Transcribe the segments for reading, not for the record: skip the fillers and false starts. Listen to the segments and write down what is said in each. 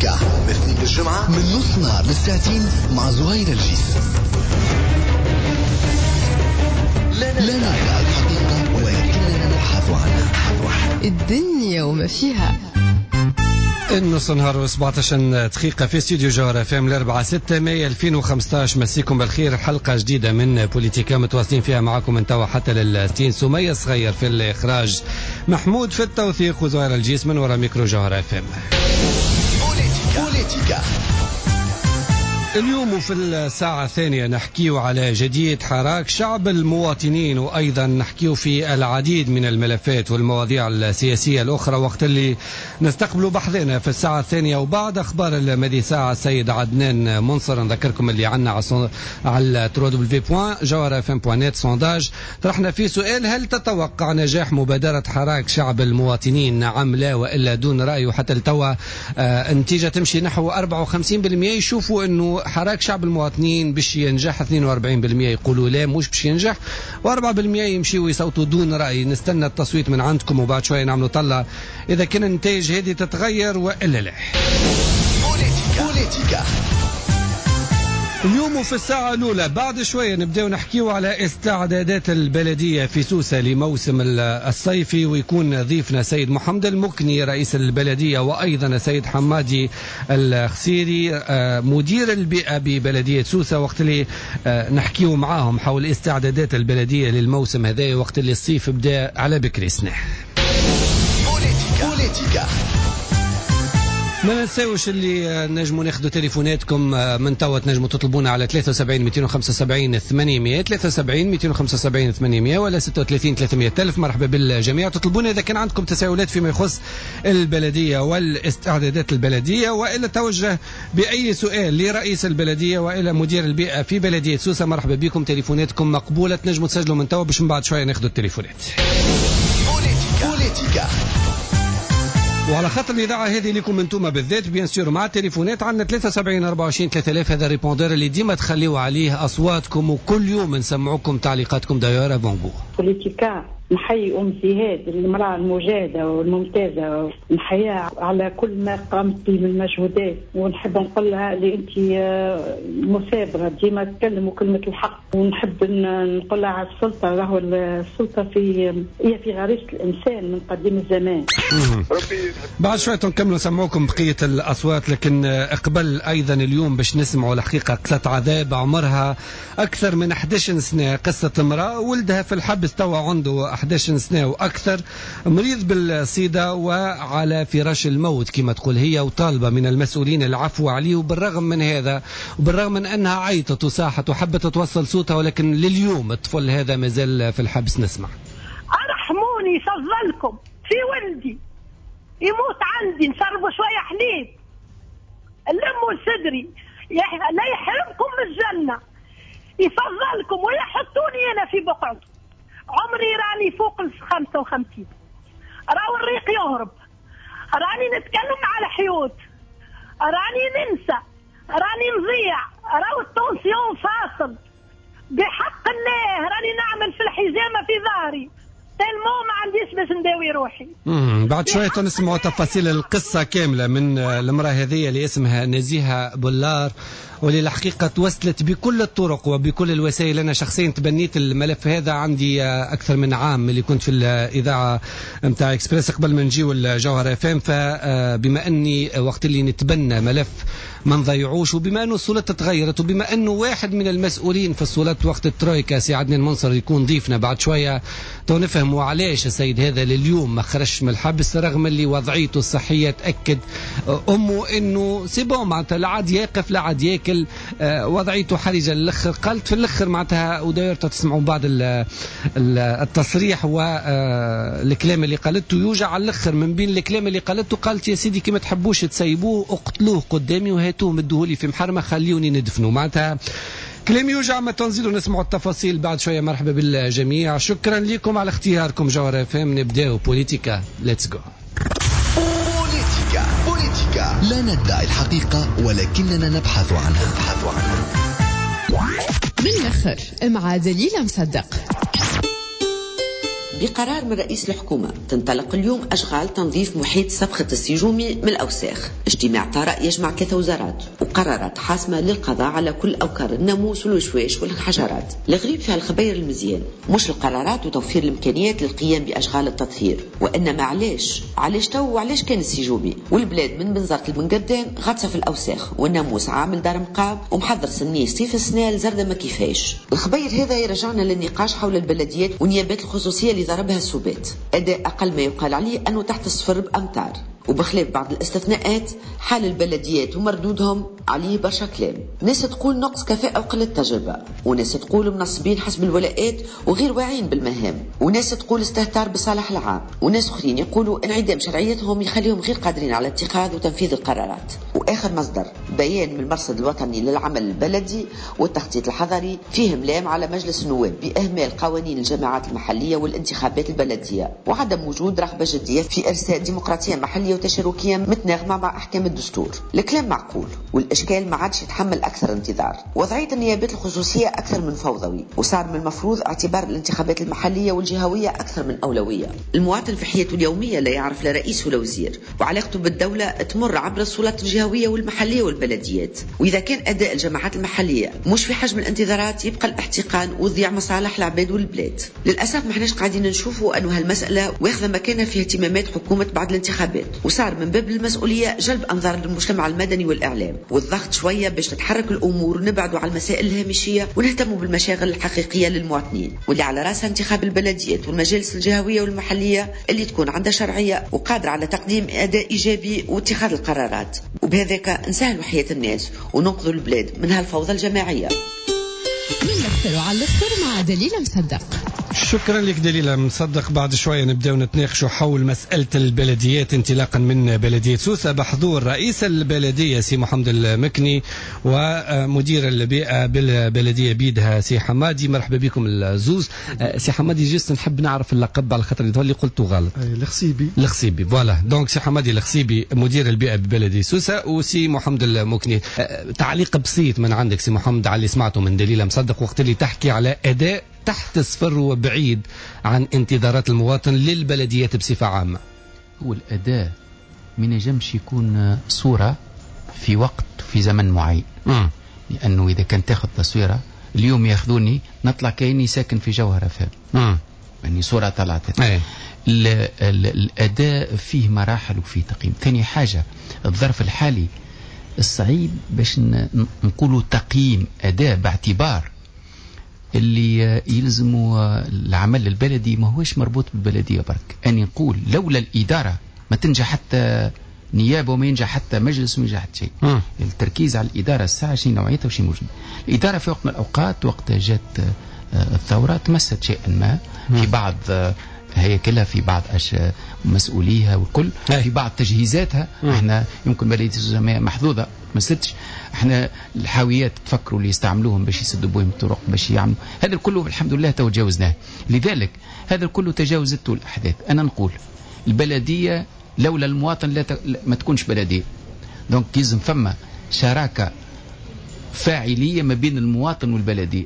بوليتيكا من الاثنين للجمعة من نص نهار للساعتين مع زهير الجيس. لا ندعي الحقيقة ولكننا نبحث عنها. الدنيا وما فيها. النص نهار و17 دقيقة في استوديو جوهرة FM الأربعة 6 ماي 2015. مسيكم بالخير، حلقة جديدة من بوليتيكا متواصلين فيها معكم من توا حتى للستين. سمية صغير في الإخراج، محمود في التوثيق، وزهير الجيس من وراء ميكرو جوهرة FM. بوليتيكا اليوم في الساعة الثانية نحكيو على جديد حراك شعب المواطنين، وأيضا نحكيو في العديد من الملفات والمواضيع السياسية الأخرى وقت اللي نستقبلوا بحثنا في الساعة الثانية. وبعد أخبار المدي ساعة السيد عدنان منصر، نذكركم اللي عنا على www.jawharafm.net sondage طرحنا فيه سؤال: هل تتوقع نجاح مبادرة حراك شعب المواطنين؟ نعم، لا، وإلا دون رأي. وحتى لتوا النتيجة تمشي نحو 54% يشوفوا أنه حراك شعب المواطنين باش ينجح، 42% يقولوا لا مش باش ينجح، و4% يمشيوا يصوتوا دون رأي. نستنى التصويت من عندكم وبعد شوية نعملوا طلة إذا كان النتائج هذه تتغير وإلا لا. بوليتيكا اليوم في الساعة الأولى بعد شوية نبدأ نحكيو على استعدادات البلدية في سوسة لموسم الصيفي، ويكون ضيفنا سيد محمد المكني رئيس البلدية، وأيضا سيد حمادي الخسيري مدير البيئة ببلدية سوسة، وقت اللي نحكيو معاهم حول استعدادات البلدية للموسم هذا وقت اللي الصيف بدأ على بكري سنة. بوليتيكا ما ننساوش اللي نجموا ناخذوا تليفوناتكم من توا، تنجموا تطلبونا على 73 275 800، 73 275 800 ولا 36 300 ألف. مرحبا بالجميع، تطلبونا إذا كان عندكم تساؤلات فيما يخص البلدية والاستعدادات البلدية، وإلا توجه بأي سؤال لرئيس البلدية وإلى مدير البيئة في بلدية سوسة. مرحبا بكم، تليفوناتكم مقبولة، تنجموا تسجلوا من توا باش من بعد شوية ناخذوا التليفونات. بوليتيكا وعلى خاطر الاذاعة هذه لكم انتم بالذات bien sûr مع التليفونات عندنا 73 24 3000، هذا répondeur اللي ديما تخليوا عليه اصواتكم وكل يوم نسمعوكم تعليقاتكم. d'ailleurs bonjour. بوليتيكا نحيي ام زهاد المراة المجاهدة والممتازه، نحييها على كل ما قامت به من مجهودات، ونحب نقول لها اللي انت مثابره ديما تكلم وكلمه الحق، ونحب نقول لها على السلطة، راهو السلطة هي في غريزة الانسان من قديم الزمان. بعد شوية نكملوا نسمعوكم بقية الاصوات، لكن قبل ايضا اليوم باش نسمعوا الحقيقة قصة عذاب عمرها اكثر من 11 سنة، قصة امراة ولدها في الحبس توا عنده 11 سنة وأكثر، مريض بالسيدة وعلى فراش الموت كما تقول هي، وطالبة من المسؤولين العفو عليه. وبالرغم من هذا وبالرغم من أنها عيطت وصاحت وحبت توصل صوتها، ولكن لليوم الطفل هذا مازال في الحبس. نسمع. أرحموني فضلكم في ولدي يموت عندي، نشربوا شوية حليب، لموا صدري، لا يحرمكم من الجنة، يفضلكم ويحطوني أنا في بقعتي. عمري راني فوق ال 55، راهو الريق يهرب، راني نتكلم على الحيوط، راني ننسى، راني نضيع، راهو ال tension فاصل بحق الله، راني نعمل في الحجامة في ظهري tellement ما عنديش باش نداوي روحي. بعد شوية نسمعوا تفاصيل القصة كاملة من المرأة هذه اللي اسمها نزيهة بولار، واللي الحقيقة توسلت بكل الطرق وبكل الوسائل. أنا شخصيا تبنيت الملف هذا عندي أكثر من عام اللي كنت في الإذاعة متاع إكسبريس قبل ما نجيو الجوهرة FM، فبما أني وقت اللي نتبنى ملف ما نضيعوش، وبما أنه السلطة تغيرت، وبما أنه واحد من المسؤولين في السلطة وقت الترويكا سي عدنان منصر يكون ضيفنا بعد شوية تو نفهموا علاش السيد هذا لليوم ما خرجش من الحبس، رغم اللي وضعيته الصحية تأكد أمه أنه c'est bon، معناتها لا عاد يقف لا عاد ياكل، وضعيته حرجة للآخر. قالت في الآخر معناتها، وداير تسمعوا بعض التصريح والكلام اللي قالته يوجع على الآخر. من بين الكلام اللي قالته قالت يا سيدي كي ما تحبوش تسيبوه اقتلوه قدامي وهاتوه مدوهولي في محرمة خليوني ندفنه. معناتها كلام يوجع. ما تنزلوا نسمعوا التفاصيل بعد شوية. مرحبا بالجميع، شكرا لكم على اختياركم جوهرة FM. نبداو بوليتيكا، let's go. بوليتيكا بوليتيكا لا ندعي الحقيقة ولكننا نبحث عنها. من الآخر مع دليلة مصدق. بقرار من رئيس الحكومة تنطلق اليوم أشغال تنظيف محيط سبخة السيجومي من الأوساخ. اجتماع طارئ يجمع 3 وزارات وقرارات حاسمة للقضاء على كل أوكار الناموس والوشواش والحشرات. الغريب في الخبير المزيان مش القرارات وتوفير الإمكانيات للقيام بأشغال التطهير، وإنما علاش تو وعلاش كان السيجومي والبلاد من بنزرت لبنقردان غطسة في الأوساخ والناموس عامل دار مقام ومحضر سنية صيف السنة الزردة ما كيفاش. الخبير هذا يرجعنا للنقاش حول البلديات ونيابات الخصوصية اللي ضربها السبات، أداء أقل ما يقال عليه أنه تحت الصفر بأمتار، وبخلاف بعض الاستثناءات حال البلديات ومردودهم عليه برشا كلام. ناس تقول نقص كفاءة وقلة تجربة، وناس تقول منصبين حسب الولاءات وغير واعيين بالمهام، وناس تقول استهتار بالصالح العام، وناس اخرين يقولوا انعدام شرعيتهم يخليهم غير قادرين على اتخاذ وتنفيذ القرارات. واخر مصدر بيان من المرصد الوطني للعمل البلدي والتخطيط الحضري فيه ملام على مجلس النواب باهمال قوانين الجماعات المحلية والانتخابات البلدية وعدم وجود رغبة جدية في ارساء ديمقراطية محلية وتشاركية متناغمة مع أحكام الدستور. الكلام معقول والإشكال ما عادش يتحمل أكثر انتظار. وضعية النيابات الخصوصية أكثر من فوضوي، وصار من المفروض اعتبار الانتخابات المحلية والجهوية أكثر من أولوية. المواطن في حياته اليومية لا يعرف لا رئيس ولا وزير، وعلاقته بالدولة تمر عبر السلطات الجهوية والمحلية والبلديات. وإذا كان أداء الجماعات المحلية مش في حجم الانتظارات يبقى الاحتقان وضياع مصالح العباد والبلاد. للأسف ما احناش قاعدين نشوفوا أنه هالمسألة واخذة مكانها في اهتمامات حكومة بعد الانتخابات، وصار من باب المسؤولية جلب أنظار للمجتمع المدني والإعلام والضغط شوية باش تتحرك الأمور ونبعدوا على المسائل الهامشية ونهتموا بالمشاغل الحقيقية للمواطنين، واللي على رأسها انتخاب البلديات والمجالس الجهوية والمحلية اللي تكون عندها شرعية وقادرة على تقديم أداء إيجابي واتخاذ القرارات، وبهذاك نسهلوا حياة الناس وننقذوا البلاد من هالفوضى الجماعية. من الأخر وعلى الآخر مع دليلة مصدق. شكرا لك دليلة مصدق. بعد شوية نبدأ نتناقشوا حول مسألة البلديات انطلاقا من بلدية سوسة بحضور رئيس البلدية سي محمد المكني ومدير البيئة بالبلدية بيدها سي حمادي. مرحبا بكم الزوز. سي حمادي juste نحب نعرف اللقب على خاطر اللي قلته غلط. الخصيبي. الخصيبي voilà. donc سي حمادي الخصيبي مدير البيئة ببلدية سوسة وسي محمد المكني. تعليق بسيط من عندك سي محمد على اللي سمعته من دليلة مصدق وقت اللي تحكي على أداء تحت الصفر وبعيد عن انتظارات المواطن للبلديات بصفة عامة. هو الأداء ما ينجمش يكون صورة في وقت في زمن معين. لأنه إذا كان تاخذ تصويرة اليوم ياخذوني نطلع كأني ساكن في جوهرة فهم. يعني صورة طلعت. الأداء فيه مراحل وفيه تقييم. ثاني حاجة الظرف الحالي الصعيب باش نقولوا تقييم أداء باعتبار اللي يلزموا العمل البلدي ما هوش مربوط بالبلدية برك. أني نقول لولا الإدارة ما تنجح حتى نيابة وما ينجح حتى مجلس وما ينجح حتى شيء. التركيز على الإدارة الساعة شيء نوعيتها وشيء موجود. الإدارة في وقت من الأوقات وقت جات الثورة تمست شيئا ما في بعض هياكلها، في بعض مسؤوليها والكل، في بعض تجهيزاتها. احنا يمكن بلدية سوسة محظوظة ما ستش احنا الحاويات تفكروا اللي يستعملوهم باش يسدوا بهم الطرق باش يعملوا هذا الكل، الحمد لله تو تجاوزناه. لذلك هذا الكل تجاوزته الاحداث. انا نقول البلدية لولا المواطن لا ما تكونش بلديه. donc لازم فما شراكة فاعلية ما بين المواطن والبلديه.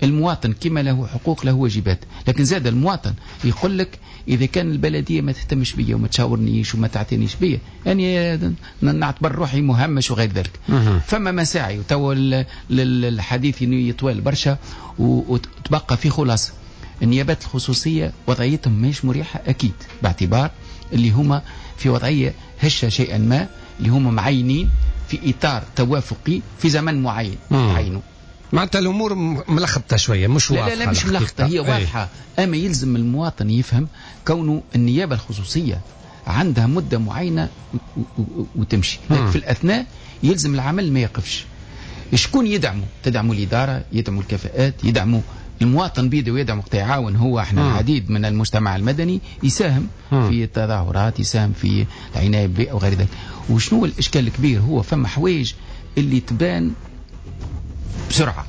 المواطن كما له حقوق له واجبات، لكن زاد المواطن يقول لك إذا كان البلدية ما تهتمش بيا وما تشاورنيش وما تعتنيش بيا يعني نعتبر روحي مهمش وغير ذلك. فما مساعي وتو الحديث يطول برشا وتبقى في خلاصة. النيابات الخصوصية وضعيتهم مش مريحة أكيد، باعتبار اللي هما في وضعية هشة شيئا ما، اللي هما معينين في إطار توافقي في زمن معين تعينوا. معناتها الامور ملخبطة شوية مش واضحة. لا لا مش ملخبطة، هي واضحة. اما يلزم المواطن يفهم كونه النيابة الخصوصية عندها مده معينة وتمشي، لكن في الاثناء يلزم العمل ما يقفش. شكون يدعمه؟ تدعموا الادارة، يدعموا الكفاءات، يدعموا المواطن بيده ويدعم وقت يعاون هو. احنا العديد من المجتمع المدني يساهم في التظاهرات، يساهم في العناية بالبيئة وغير ذلك. وشنو الاشكال الكبير؟ هو فما حوايج اللي تبان بسرعة،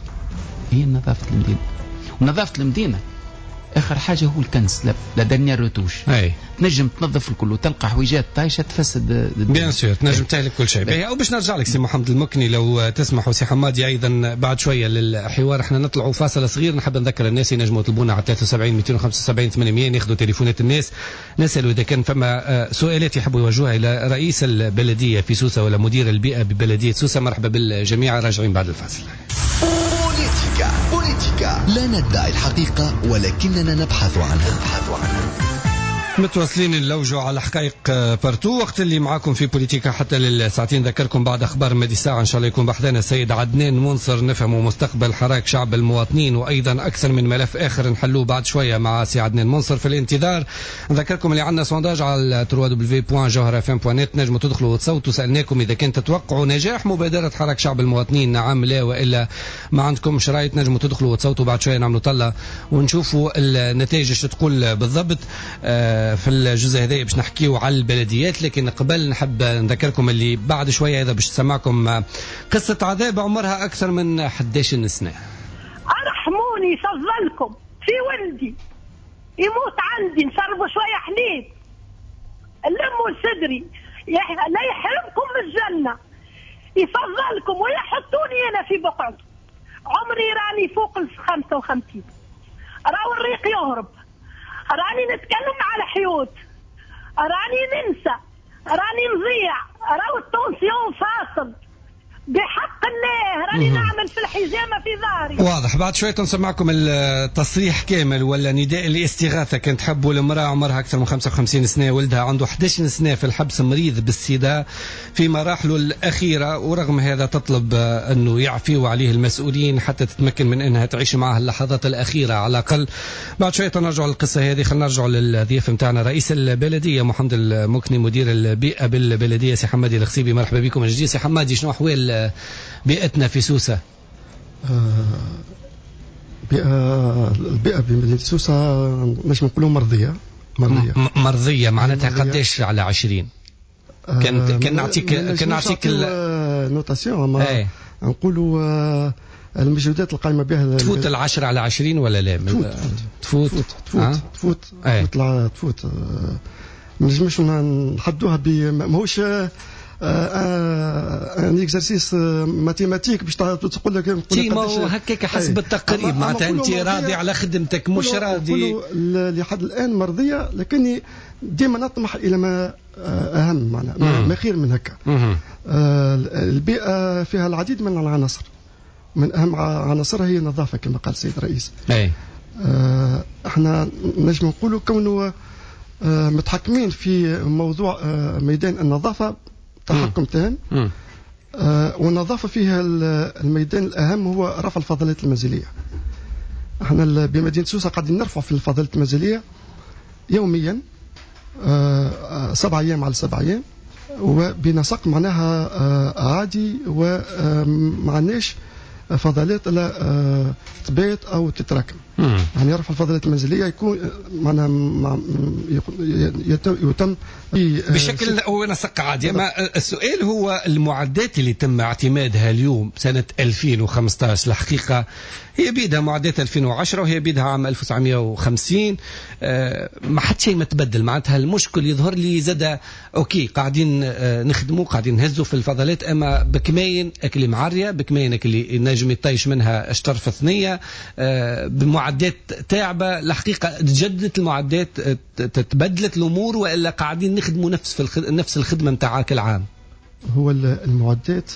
هي نظافة المدينة. ونظافة المدينة اخر حاجة هو الكنس، la dernière retouche. تنجم تنظف الكل وتلقى حويجات طايشه تفسد. bien sûr تنجم تهلك كل شيء. او باش نرجع لك سي محمد المكني لو تسمح، وسي حمادي ايضا بعد شوية للحوار. احنا نطلعوا فاصل صغير، نحب نذكر الناس ينجموا يطلبونا على 73 275 800، ناخذوا تليفونات الناس، نسالوا اذا كان فما سؤالات يحبوا يوجهوها الى رئيس البلدية في سوسة ولا مدير البيئة ببلديه سوسة. مرحبا بالجميع، راجعين بعد الفاصل. بوليتيكا بوليتيكا، لا ندعي الحقيقة ولكننا نبحث عنها. متواصلين نلوجوا على حقائق partout وقت اللي معاكم في بوليتيكا حتى للساعتين. ذكركم بعد اخبار مدي ساعة ان شاء الله يكون بحذانا السيد عدنان منصر، نفهموا مستقبل حراك شعب المواطنين وايضا اكثر من ملف اخر نحلوه بعد شوية مع سي عدنان منصر. في الانتظار نذكركم اللي عندنا sondage على www.jawharafm.net، نجموا تدخلوا وتصوتوا. سالناكم اذا كان تتوقعوا نجاح مبادرة حراك شعب المواطنين، نعم لا والا ما عندكمش راي، نجموا تدخلوا وتصوتوا. بعد شوية نعملوا طله ونشوفوا النتائج ايش تقول بالضبط. في الجزء هذا باش نحكيو على البلديات، لكن قبل نحب نذكركم اللي بعد شوية هذا باش تسمعكم قصة عذاب عمرها أكثر من 11 سنة. أرحموني فضلكم في ولدي يموت عندي، نشربوا شوية حليب، لموا لصدري، لا يحرمكم من الجنة، يفضلكم ويحطوني أنا في بقعته. عمري راني فوق 55، راهو الريق يهرب، راني نتكلم على حيوت، راني ننسى، راني نضيع، راهو ال tension فاصل بحق الله، راني نعمل في الحجامة في ظهري. واضح. بعد شوية نسمعكم التصريح كامل ولا نداء الاستغاثة كان تحبوا. المرأة عمرها أكثر من 55 سنة، ولدها عنده 11 سنة في الحبس، مريض بالسيدا في مراحله الأخيرة، ورغم هذا تطلب أنه يعفيوا عليه المسؤولين حتى تتمكن من أنها تعيش معه اللحظات الأخيرة على الأقل. بعد شوية نرجع للقصة هذه. خلينا نرجع للضيف نتاعنا رئيس البلدية محمد المكني، مدير البيئة بالبلدية سي حمادي الخصيبي. مرحبا بكم من جديد سي حمادي. شنو أحوال بيئتنا في سوسة؟ البيئة بمدينة سوسة نجم نقولوا مرضية. مرضية معناتها قداش على 20؟ كان نعطيك notation، ما نقولوا المجهودات القائمة بها تفوت 10 على 20 ولا لا؟ تفوت تفوت تفوت تفوت تفوت. ما نجمش نحدوها ماهوش un exercice mathématique باش تقول لك هكاك حسب التقريب، معناتها انت راضي على خدمتك مش راضي. لحد الان مرضية، لكني ديما نطمح الى ما اهم، معناها ما خير من هكا. البيئة فيها العديد من العناصر، من اهم عناصرها هي النظافة كما قال السيد الرئيس. احنا نجم نقولوا كونه متحكمين في موضوع ميدان النظافة تحكم تام. والنظافة فيها الميدان الأهم هو رفع الفضلات المنزلية. احنا بمدينة سوسة قاعدين نرفع في الفضلات المنزلية يوميا 7 أيام على 7 أيام، وبنسق معناها عادي، وما عندناش فضلات لا تبات أو تتراكم. يعني رفع الفضلات المنزلية يكون معناها يتم بشكل ونسق عادي. ما السؤال هو المعدات اللي تم اعتمادها اليوم سنة 2015 الحقيقة هي بيدها معدات 2010 وهي بيدها عام 1950، ما حد شيء ما تبدل. معناتها المشكل يظهر لي زاد OK قاعدين نخدموا، قاعدين نهزوا في الفضلات، اما بكماين اكل معريه، بكماين اكل نجم يطيش منها اشطر ثنيه، بمعدات تعبه. الحقيقة تجددت المعدات، تبدلت الامور، والا قاعدين نخدموا نفس الخدمة نتاع كل عام؟ هو المعدات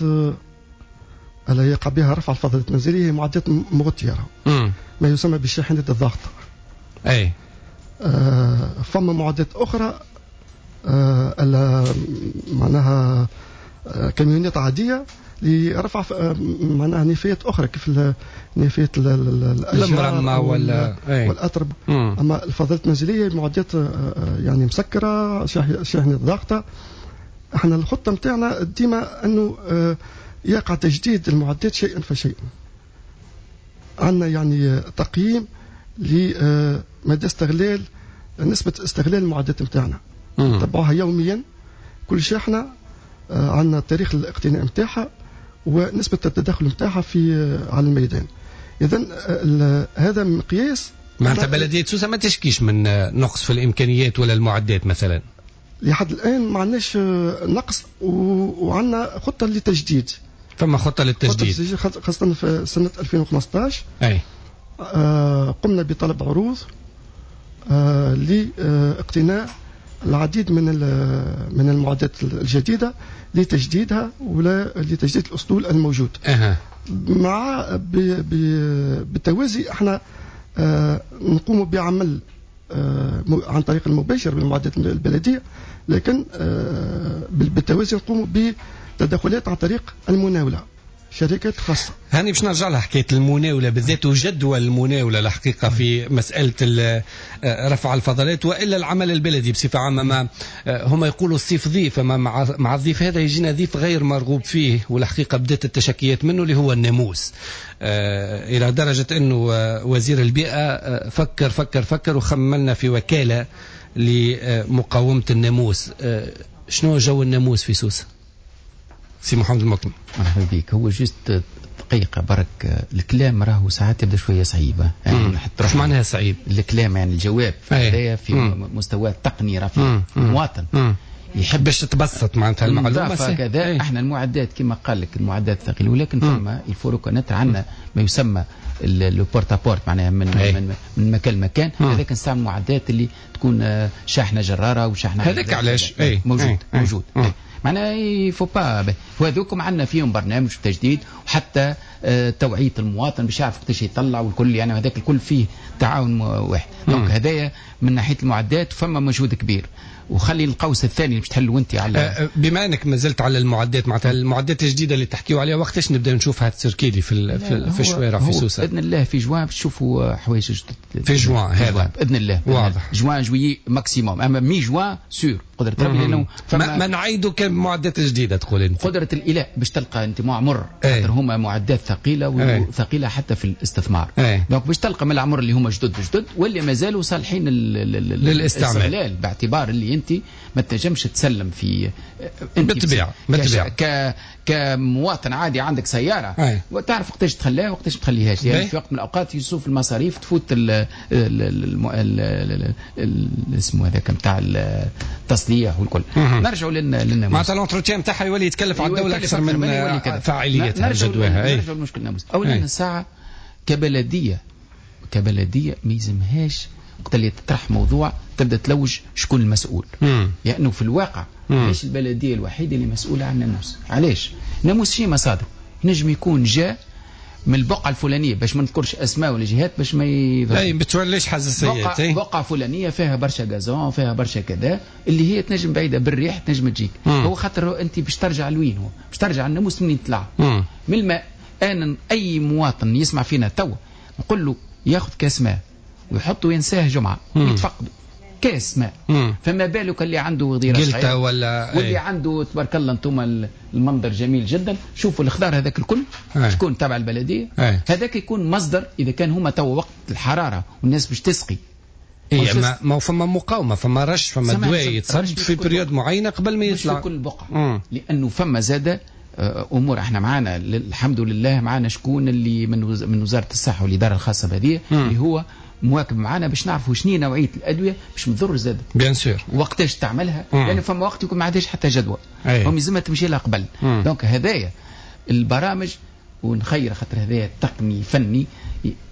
اللي يقع بها رفع الفضلات المنزلية هي معدات مغطيه، ما يسمى بالشاحنات الضاغطه. اي فما معدات اخرى معناها كاميونات عادية لرفع معناها نفايات اخرى كيف نفايات الاشجار والاترب. اما الفضلات المنزلية معدات يعني مسكره، شاحنة ضاغطة. احنا الخطة نتاعنا ديما انه يقع تجديد المعدات شيئا فشيئا. عندنا يعني تقييم لمدى استغلال نسبه استغلال المعدات نتاعنا، نتبعوها يوميا. كل شاحنة عندنا تاريخ الاقتناء نتاعها ونسبة التدخل نتاعها في على الميدان. إذا هذا مقياس معناتها بلديه سوسة ما تشكيش من نقص في الامكانيات ولا المعدات مثلا؟ لحد الان ما عندناش نقص، وعندنا خطه للتجديد. فما خطه للتجديد خاصة في سنة 2015. اي قمنا بطلب عروض لاقتناء العديد من المعدات الجديدة لتجديدها ولا لتجديد الاسطول الموجود. مع بالتوازي احنا نقوم بعمل عن طريق المباشر بالمعدات البلدية، لكن بالتوازي نقوم بتدخلات عن طريق المناوله، شركات خاصة. هاني باش نرجع لها حكاية المناوله بالذات وجدوى المناوله الحقيقة في مسالة رفع الفضلات والا العمل البلدي بصفة عامة. ما هما يقولوا الصيف ضيف، اما مع الضيف هذا يجينا ضيف غير مرغوب فيه، والحقيقة بدات التشكيات منه اللي هو الناموس، الى درجه انه وزير البيئة فكر فكر فكر وخملنا في وكالة لمقاومة الناموس. شنو جو الناموس في سوسة؟ سي محمد المكني. مرحبا بك. هو juste دقيقة برك، الكلام راهو ساعات يبدا شوية صعيبة. يعني ايش معناها صعيب؟ الكلام يعني الجواب هذايا في مستوى تقني رفيع. المواطن يحب باش تتبسط معناتها المعلومة كذا. احنا المعدات كما قال لك المعدات ثقيلة، ولكن فما il faut reconnaître عندنا ما يسمى le porte à porte، معناها من من مكان لمكان. هذاك نستعمل معدات اللي تكون شاحنة جراره وشاحنه هذاك علاش موجود. موجود معناها il faut pas وهذوكم عندنا فيهم برنامج تجديد، وحتى توعيه المواطن باش يعرف وقتاش يطلع والكل، يعني هذاك الكل فيه تعاون واحد. donc هذايا من ناحية المعدات فما مجهود كبير. وخلي القوس الثاني اللي باش تحلوا انت على بما انك ما زلت على المعدات، معناتها المعدات الجديدة اللي تحكيوا عليها وقتاش نبدا نشوفها تسيركيلي في الشوارع في سوسة؟ باذن الله في جوان باش تشوفوا حوايج جدد في جوان هذا باذن الله. واضح juin juillet maximum، اما mi-juin sûr قدرة ربي، لانه ما نعيدوا كان معدات جديدة تقول انت. قدرة الاله باش تلقى انت معمر، خاطر هما معدات ثقيلة وثقيله حتى في الاستثمار. donc باش تلقى من العمر اللي هما جدد جدد واللي مازالوا صالحين للاستعمال، باعتبار اللي انت ما تنجمش تسلم في انت بالطبيعة كمواطن عادي عندك سيارة وتعرف وقتاش تخليها وقتاش ما تخليهاش. يعني في وقت من الاوقات يشوف المصاريف تفوت اسمه هذاك نتاع التصليح والكل. نرجعوا للناموس، معناتها l'entretien نتاعها يولي يتكلف على الدولة اكثر من فاعليتها جدواها. نرجعوا لمشكل الناموس. اولا الساعة كبلديه ما يلزمهاش وقت اللي تطرح موضوع تبدا تلوج شكون المسؤول، لانه يعني في الواقع مش البلدية الوحيدة اللي مسؤولة عن الناموس. علاش؟ الناموس شي مصادر نجم يكون جاء من البقعة الفلانية، باش ما نذكرش اسماء ولا جهات باش ما اي ما توليش حساسيات. بقعة فلانيه فيها برشا gazon، فيها برشا كذا، اللي هي تنجم بعيدة بالريح تنجم تجيك. هو خاطر انت باش ترجع لوين؟ هو باش ترجع الناموس منين طلع؟ من الماء. انا اي مواطن يسمع فينا توا نقول له ياخذ كاس ماء ويحطه ينساه جمعه يتفقده كاس ماء. فما بالك اللي عنده غديره صغيرة ولا واللي عنده تبارك الله انتم المنظر جميل جدا، شوفوا الخضار هذاك الكل شكون تبع البلدية. هذاك يكون مصدر اذا كان هما تو وقت الحرارة والناس باش تسقي. اي ما فما مقاومة، فما رش، فما دواء يتصب في période معينة قبل ما يطلع. مش في كل بقعة، لانه فما زاده امور احنا معانا الحمد لله، معانا شكون اللي من وزارة الصحة والادارة الخاصة بهذه اللي هو مواكب معانا باش نعرفوا شنو نوعية الادوية باش ما تضر زاد bien sûr وقتاش تعملها، لان يعني فما وقت يكون ما عندهاش حتى جدوى، هم لازمها تمشي لها قبل. donc هذايا البرامج ونخير خاطر هذايا تقني فني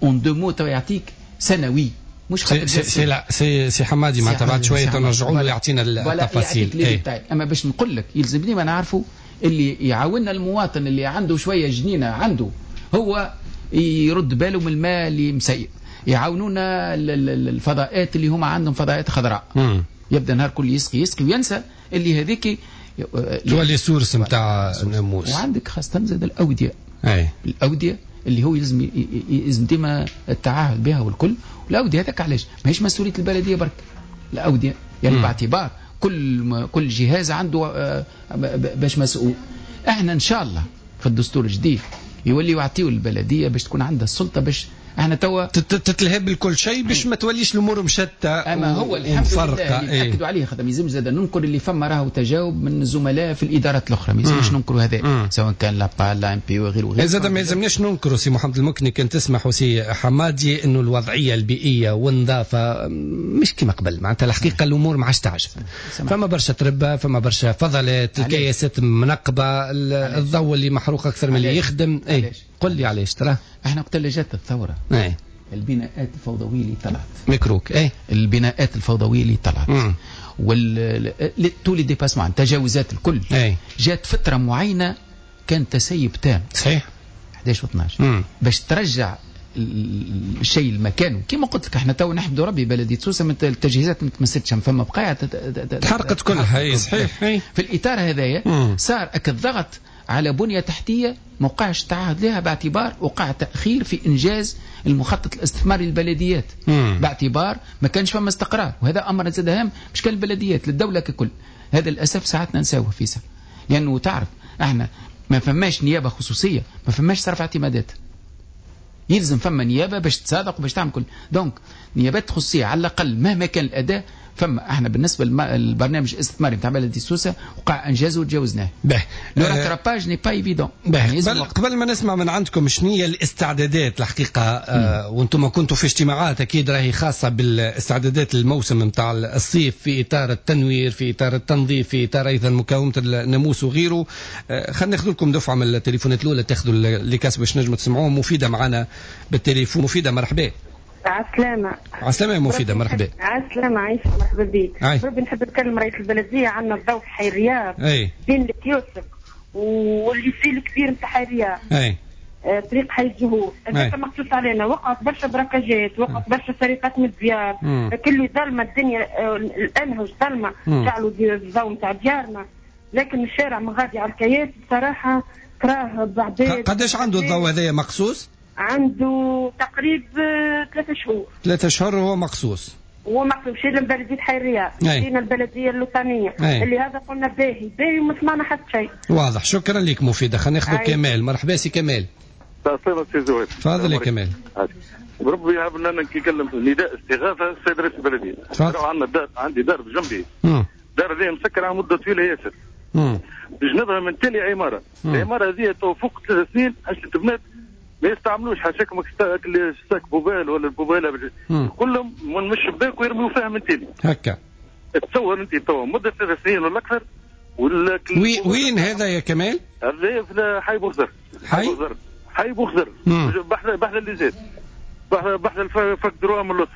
en deux mots يعطيك سنوي مش خاطر سي لا سي حمادي معناتها بعد شوية نرجعوا له يعطينا التفاصيل. اما باش نقول لك يلزمني ما نعرفوا اللي يعاوننا المواطن اللي عنده شوية جنينة عنده هو يرد باله من الماء اللي مسيب، يعاونونا الفضاءات اللي هما عندهم فضاءات خضراء. يبدا نهار كل يسقي يسقي وينسى اللي هذيك تولي source نتاع الناموس. وعندك خاصة زاد الاودية. الاودية اللي هو يلزم ديما التعاهد بها والكل. والاوديه هذاك علاش ماهيش مسؤولية البلدية برك، الاودية يعني باعتبار كل جهاز عنده باش مسؤول. احنا ان شاء الله في الدستور الجديد يولي يعطيو البلدية باش تكون عندها السلطة باش احنا توا تتلهب بالكل شيء باش ما توليش الامور مشتتة. اما هو الحمد لله اللي ناكدوا عليه، خاطر ما يلزمش زاد ننكر اللي فما راهو تجاوب من الزملاء في الادارات الاخرى، ما يلزمش ننكروا هذا، سواء كان l'APAL لا ANP وغيره وغيره. زاد ما يلزمناش ننكروا سي محمد المكني، كان تسمح وسي حمادي، انه الوضعية البيئية والنظافة مش كما قبل، معناتها الحقيقة الامور ما عادش تعجب. فما برشا تربه، فما برشا فضلات، الكياسات منقبة، الضوء اللي محروق اكثر من اللي يخدم. اي قل لي علاش ترى؟ احنا وقت اللي جات الثورة ايه؟ البناءات الفوضويه اللي طلعت ميكروك ايه؟ البناءات الفوضويه اللي طلعت وال tous les dépassements، التجاوزات الكل ايه؟ جات فترة معينة كان تسيب تام، صحيح، 11 و12 باش ترجع الشيء لمكانه. كما قلت لك احنا تو نحمد ربي بلديه سوسة من التجهيزات ما تمستش، فما بقايا تحرقت كلها. اي صحيح. في الاطار هذايا صار الضغط على بنية تحتية ما وقعش تعهد لها، باعتبار وقع تأخير في إنجاز المخطط الاستثماري للبلديات، باعتبار ما كانش فما استقرار، وهذا أمر زاد هام مش كان البلديات، للدولة ككل. هذا للأسف ساعات ننساوه فيسا، لأنه تعرف احنا ما فماش نيابة خصوصية، ما فماش صرف اعتمادات، يلزم فما نيابة باش تصادق وباش تعمل كل. donc نيابات خصوصية على الأقل مهما كان الأداء. فما احنا بالنسبة للبرنامج الاستثماري نتاع بلديه سوسة وقع انجازه وتجاوزناه. le rattrapage n'est pas évident. قبل ما نسمع من عندكم شنو هي الاستعدادات الحقيقة، وانتم كنتوا في اجتماعات اكيد راهي خاصة بالاستعدادات للموسم نتاع الصيف في اطار التنوير، في اطار التنظيف، في اطار ايضا مقاومة الناموس وغيره. خلينا ناخذ لكم دفعه من التليفونات الاولى، تاخذوا les casques باش نجموا تسمعوهم. مفيدة معنا بالتليفون. مفيدة مرحبا. عسلامة. عسلامة يا مفيدة، مرحبا. عسلامة عايشة، مرحبا بك. ربي نحب نتكلم رئيس البلدية، عندنا الضوء في حي الرياض بين الكيوسك وال lycée الكبير نتاع حي الرياض، طريق حي الزهور، هذاك مقصوص علينا. وقعت برشا براكاجات، وقعت برشا سرقات من الديار، كله ظلمة الدنيا، الأنهج ظلمة، شعلوا الضوء نتاع ديارنا، لكن الشارع مغادي على الكياس بصراحة كراه بعدين. قداش عنده الضوء هذايا مقصوص؟ عنده تقريبا 3 شهور. 3 شهور هو مقصوص. هو مقصوص. مشينا لبلدية حي الرياض، مشينا البلدية اللوطانية، اللي هذا قلنا باهي باهي وما سمعنا حتى شيء. واضح، شكرا لك مفيدة. خلينا ناخذ كمال. مرحبا سي كمال. تفضل سي زهير. تفضل يا كمال. بربي يهب لنا كي كلم نداء استغاثة السيد رئيس البلدية. عندنا دار، عندي دار بجنبي. دار هذه مسكرة على مدة طويلة ياسر. بجنبها من تالي عمارة. العمارة هذه تو فوق 3 سنين عشان تبنات ما يستعملوش حاشاكم sac poubelle ولا ال poubelle، كلهم من الشباك ويرميو فيها من تالي. هكا تصور انت تو مده 3 سنين ولا اكثر. وين هذا يا كمال؟ هذا في حي بوخزر. حي بوخزر بحذا اللي زاد بحذا الفك دروا من اللطف،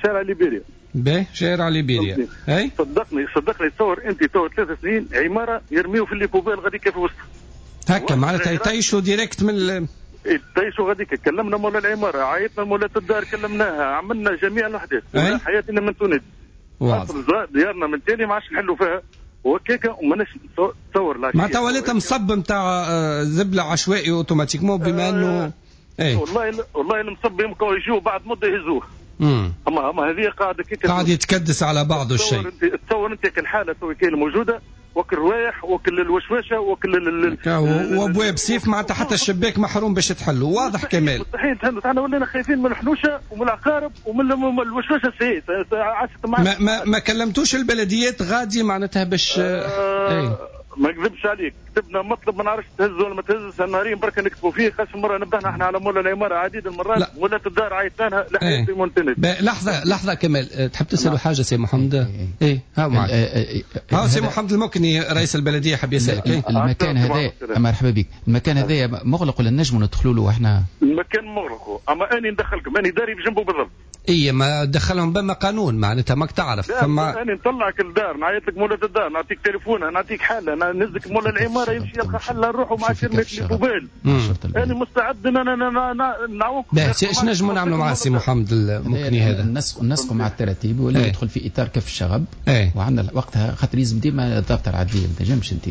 شارع ليبيريا. باهي، شارع ليبيريا. اي صدقني تصور انت تو 3 سنين عمارة يرميو في les poubelles غادي كيف وسط هكا، معناتها يطيشوا direct من يطيشوا غاديك. كلمنا مولا العمارة، عيطنا مولاة الدار، كلمناها، عملنا جميع الوحدات، حياتنا من تونس. واضح. ديارنا من تالي ما عادش نحلوا فيها وهكاك، وماناش تصور لا. معناتها ولات مصب نتاع زبله عشوائي automatiquement، بما انه ايه والله المصب يمكن يجوا بعد مده يهزوه. اما هذه قاعدة قاعد يتكدس على بعضه الشيء. تصور انت كالحاله تو كاين موجودة، وكل الروايح وكل الوشوشه وكل وابواب سيف، معناتها حتى الشباك محروم باش تحلوا. واضح كمال. مستحيل تحلوا. احنا ولينا خايفين من الحنوشه ومن العقارب ومن الوشوشه السيء. ما كلمتوش البلديات غادي معناتها باش ايه؟ ما نكذبش عليك، كتبنا مطلب ما نعرفش تهز ولا ما تهزش، نهارين بركة نكتبوا فيه. خاصة مرة نبهنا احنا على مولا العمارة عديد المرات، مولا الدار عيطنا لها لحد لحظة لحظة كمال، تحب تسالوا حاجة سي محمد؟ ايه ها معك. ها سي محمد المكني رئيس البلدية حاب يسالك. إيه؟ المكان هذا مرحبا بك، المكان هذا مغلق ولا نجموا ندخلوا له احنا؟ المكان مغلق، اما اني ندخلكم، اني داري بجنبه بالضبط. اي ما دخلهم بما قانون معناتها ماك تعرف. فما انا نطلعك الدار، نعيط لك مولاة الدار، نعطيك تليفونها، نعطيك حاله، نهزك مولا العمارة يمشي يلقى حله نروحوا مع شركة les poubelles. انا مستعد ان انا نعاونكم. ايش نجموا نعملوا مع سي محمد المكني هذا؟ النسق مع التراتيب ولا ايه؟ يدخل في اطار كف الشغب. ايه؟ وعندنا وقتها خاطر لازم ديما الضابطه العدليه، ما تنجمش انت.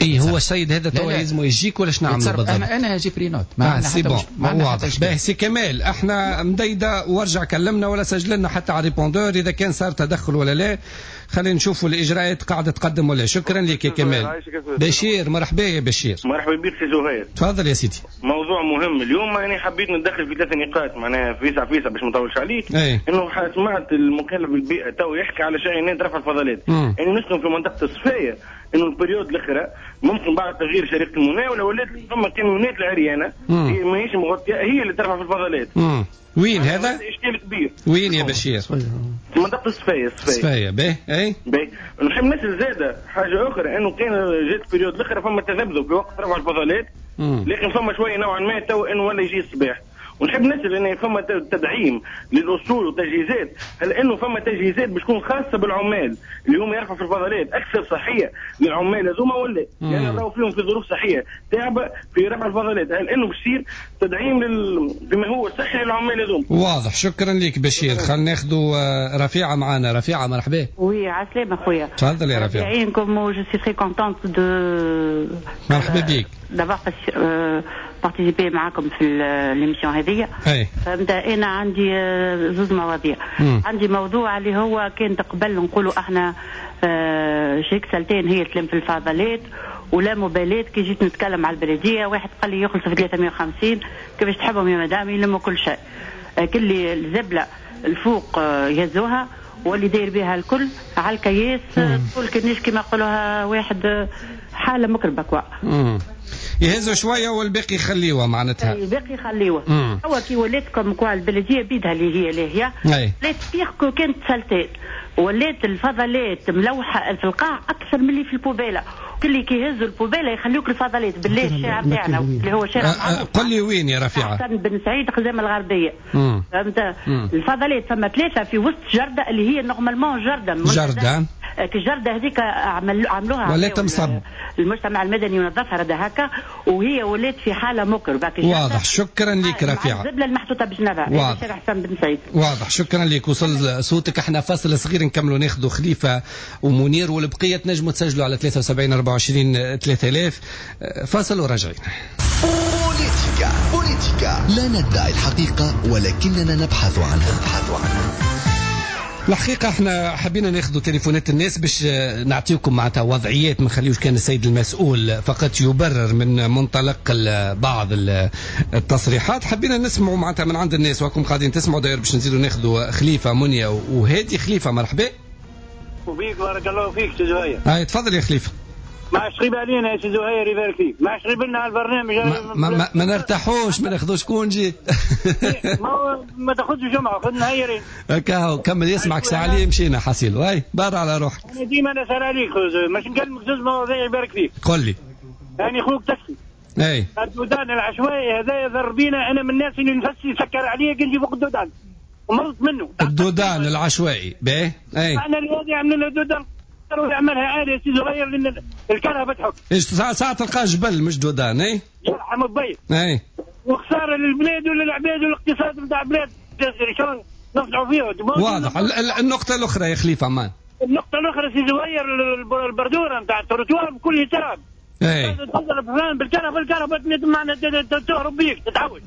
اي هو السيد هذا توا لازم يجيك ولا شنو نعملوا بالضبط؟ انا j'ai pris note. c'est bon واضح. باهي سي كمال، احنا مديدة ورجع ارجع كلمنا ولا سجل لنا حتى على répondeur اذا كان صار تدخل ولا لا. خلينا نشوفوا الاجراءات قاعدة تقدم ولا. شكرا لك يا كمال. بشير مرحبا يا بشير. مرحبا بك سي زهير. تفضل يا سيدي. موضوع مهم اليوم، يعني حبيت نتدخل في 3 نقاط معناها فيسع فيسع باش ما نطولش عليك. انه سمعت المكلف بالبيئة تو يحكي على شاحنات رفع الفضلات. يعني نسكن في منطقة الصفايه، انه ال période الاخرى ممكن بعد تغيير شركة المناوله ولات فما كاميونات العريانه ماهيش مغطيه هي اللي ترفع في الفضلات. وين هذا؟ اشكال كبير. وين يا بشير؟ في منطقة الصفايه. الصفايه باهي. اي باهي. نحب نسال زاده حاجة اخرى، انه كان جات période الاخرى فما تذبذب في وقت رفع الفضلات، لكن فما شوية نوعا ما تو انه ولا يجي الصباح. ونحب نسال ان فما تدعيم للاصول وتجهيزات، هل انه فما تجهيزات باش تكون خاصة بالعمال اللي هم يرفعوا في الفضلات اكثر صحية للعمال هذوما ولا؟ يعني راهو فيهم في ظروف صحية تعبه في رفع الفضلات، هل انه باش يصير تدعيم بما هو صحي للعمال هذوما؟ واضح. شكرا لك بشير. خلينا ناخذوا رفيعة معنا. رفيعة مرحبا. oui عسلامة خويا. تفضل يا رفيعة. يعينكم. je suis très contente de مرحبا بك d'avoir participé معاكم في l'émission هذه. فهمت. انا عندي زوج مواضيع. عندي موضوع اللي هو كان قبل نقولوا احنا شركة سلتين هي تلم في الفضلات ولا مبالاة. كي جيت نتكلم على البلدية واحد قال لي يخلص في 350، كيفاش تحبهم يا مدام يلموا كل شيء، كل الزبله الفوق يهزوها واللي داير بها الكل على الكياس، تقول كنيش كما يقولوها واحد حاله مكربه quoi. يهزوا شوية والباقي يخليوه معناتها. الباقي يخليوه. هو كي ولات comme quoi البلدية بيدها اللي هي لاهية ولات pire que كانت سلتات، ولات الفضلات ملوحه في القاع اكثر من اللي في ال poubelle. كل اللي كيهزوا ال poubelle يخليوك الفضلات بالله. الشارع تاعنا اللي هو شارع قل لي وين يا رفيعة؟ حسن بن سعيد خزامة الغربية. فهمت؟ الفضلات فما 3 في وسط جرده اللي هي normalement جرده جرده الجرده هذيك عملوها ولات مصب المجتمع المدني ونظفها رده هكا، وهي ولات في حاله مكربه. واضح. شكرا لك رفيعة. الزبله المحطوطه بجنبها شارع حسن بن سعيد. واضح. شكرا لك. وصل صوتك. احنا فاصل صغير نكملوا ناخذوا خليفة ومنير والبقية تنجموا تسجلوا على 73 24 3000. فاصل وراجعين. بوليتيكا بوليتيكا، لا ندعي الحقيقة ولكننا نبحث عنها. الحقيقة احنا حبينا ناخذ تليفونات الناس باش نعطيكم معناتها وضعيات، ما نخليوش كان السيد المسؤول فقط يبرر من منطلق بعض التصريحات. حبينا نسمعوا معناتها من عند الناس، وراكم قاعدين تسمعوا داير باش نزيدوا ناخذوا خليفة منيا وهادي. خليفة مرحبا. وبيك بارك الله فيك سي زهير. هاي تفضل يا خليفة. ما عادش غيب علينا يا سي زهير يبارك فيك، ما عادش غيب لنا على البرنامج. ما نرتاحوش، ما ناخذوش congé. ما تاخذش جمعه، خذ نهيرين. هكا هو كمل يسمعك ساعة عليه مشينا حصيل. واي بار على روحك. انا ديما نسال عليك، مش نكلمك زوج مواضيع يبارك فيك. قل لي. يعني خوك تكفي. اي الدودان العشوائي هذا يضر بينا. انا من الناس اللي نفسي يسكر عليا كي نجي فوق الدودان ومرضت منه. الدودان العشوائي باهي. اي احنا اللي عملنا الدودان ويعملها عالية سي زهير لان الكهرباء تحك. ايش ساعة تلقاه جبل مش دودان. اي يرحم الضيف. اي وخسارة للبلاد وللعباد والاقتصاد نتاع البلاد شلون نفجعوا فيه. واضح. النقطة الأخرى يا خليفة عمان. النقطة الأخرى سي زهير البردورة نتاع التروتوار بكل تراب. اي تضرب فلان بالكهرباء معنا تهرب بيك تتعود.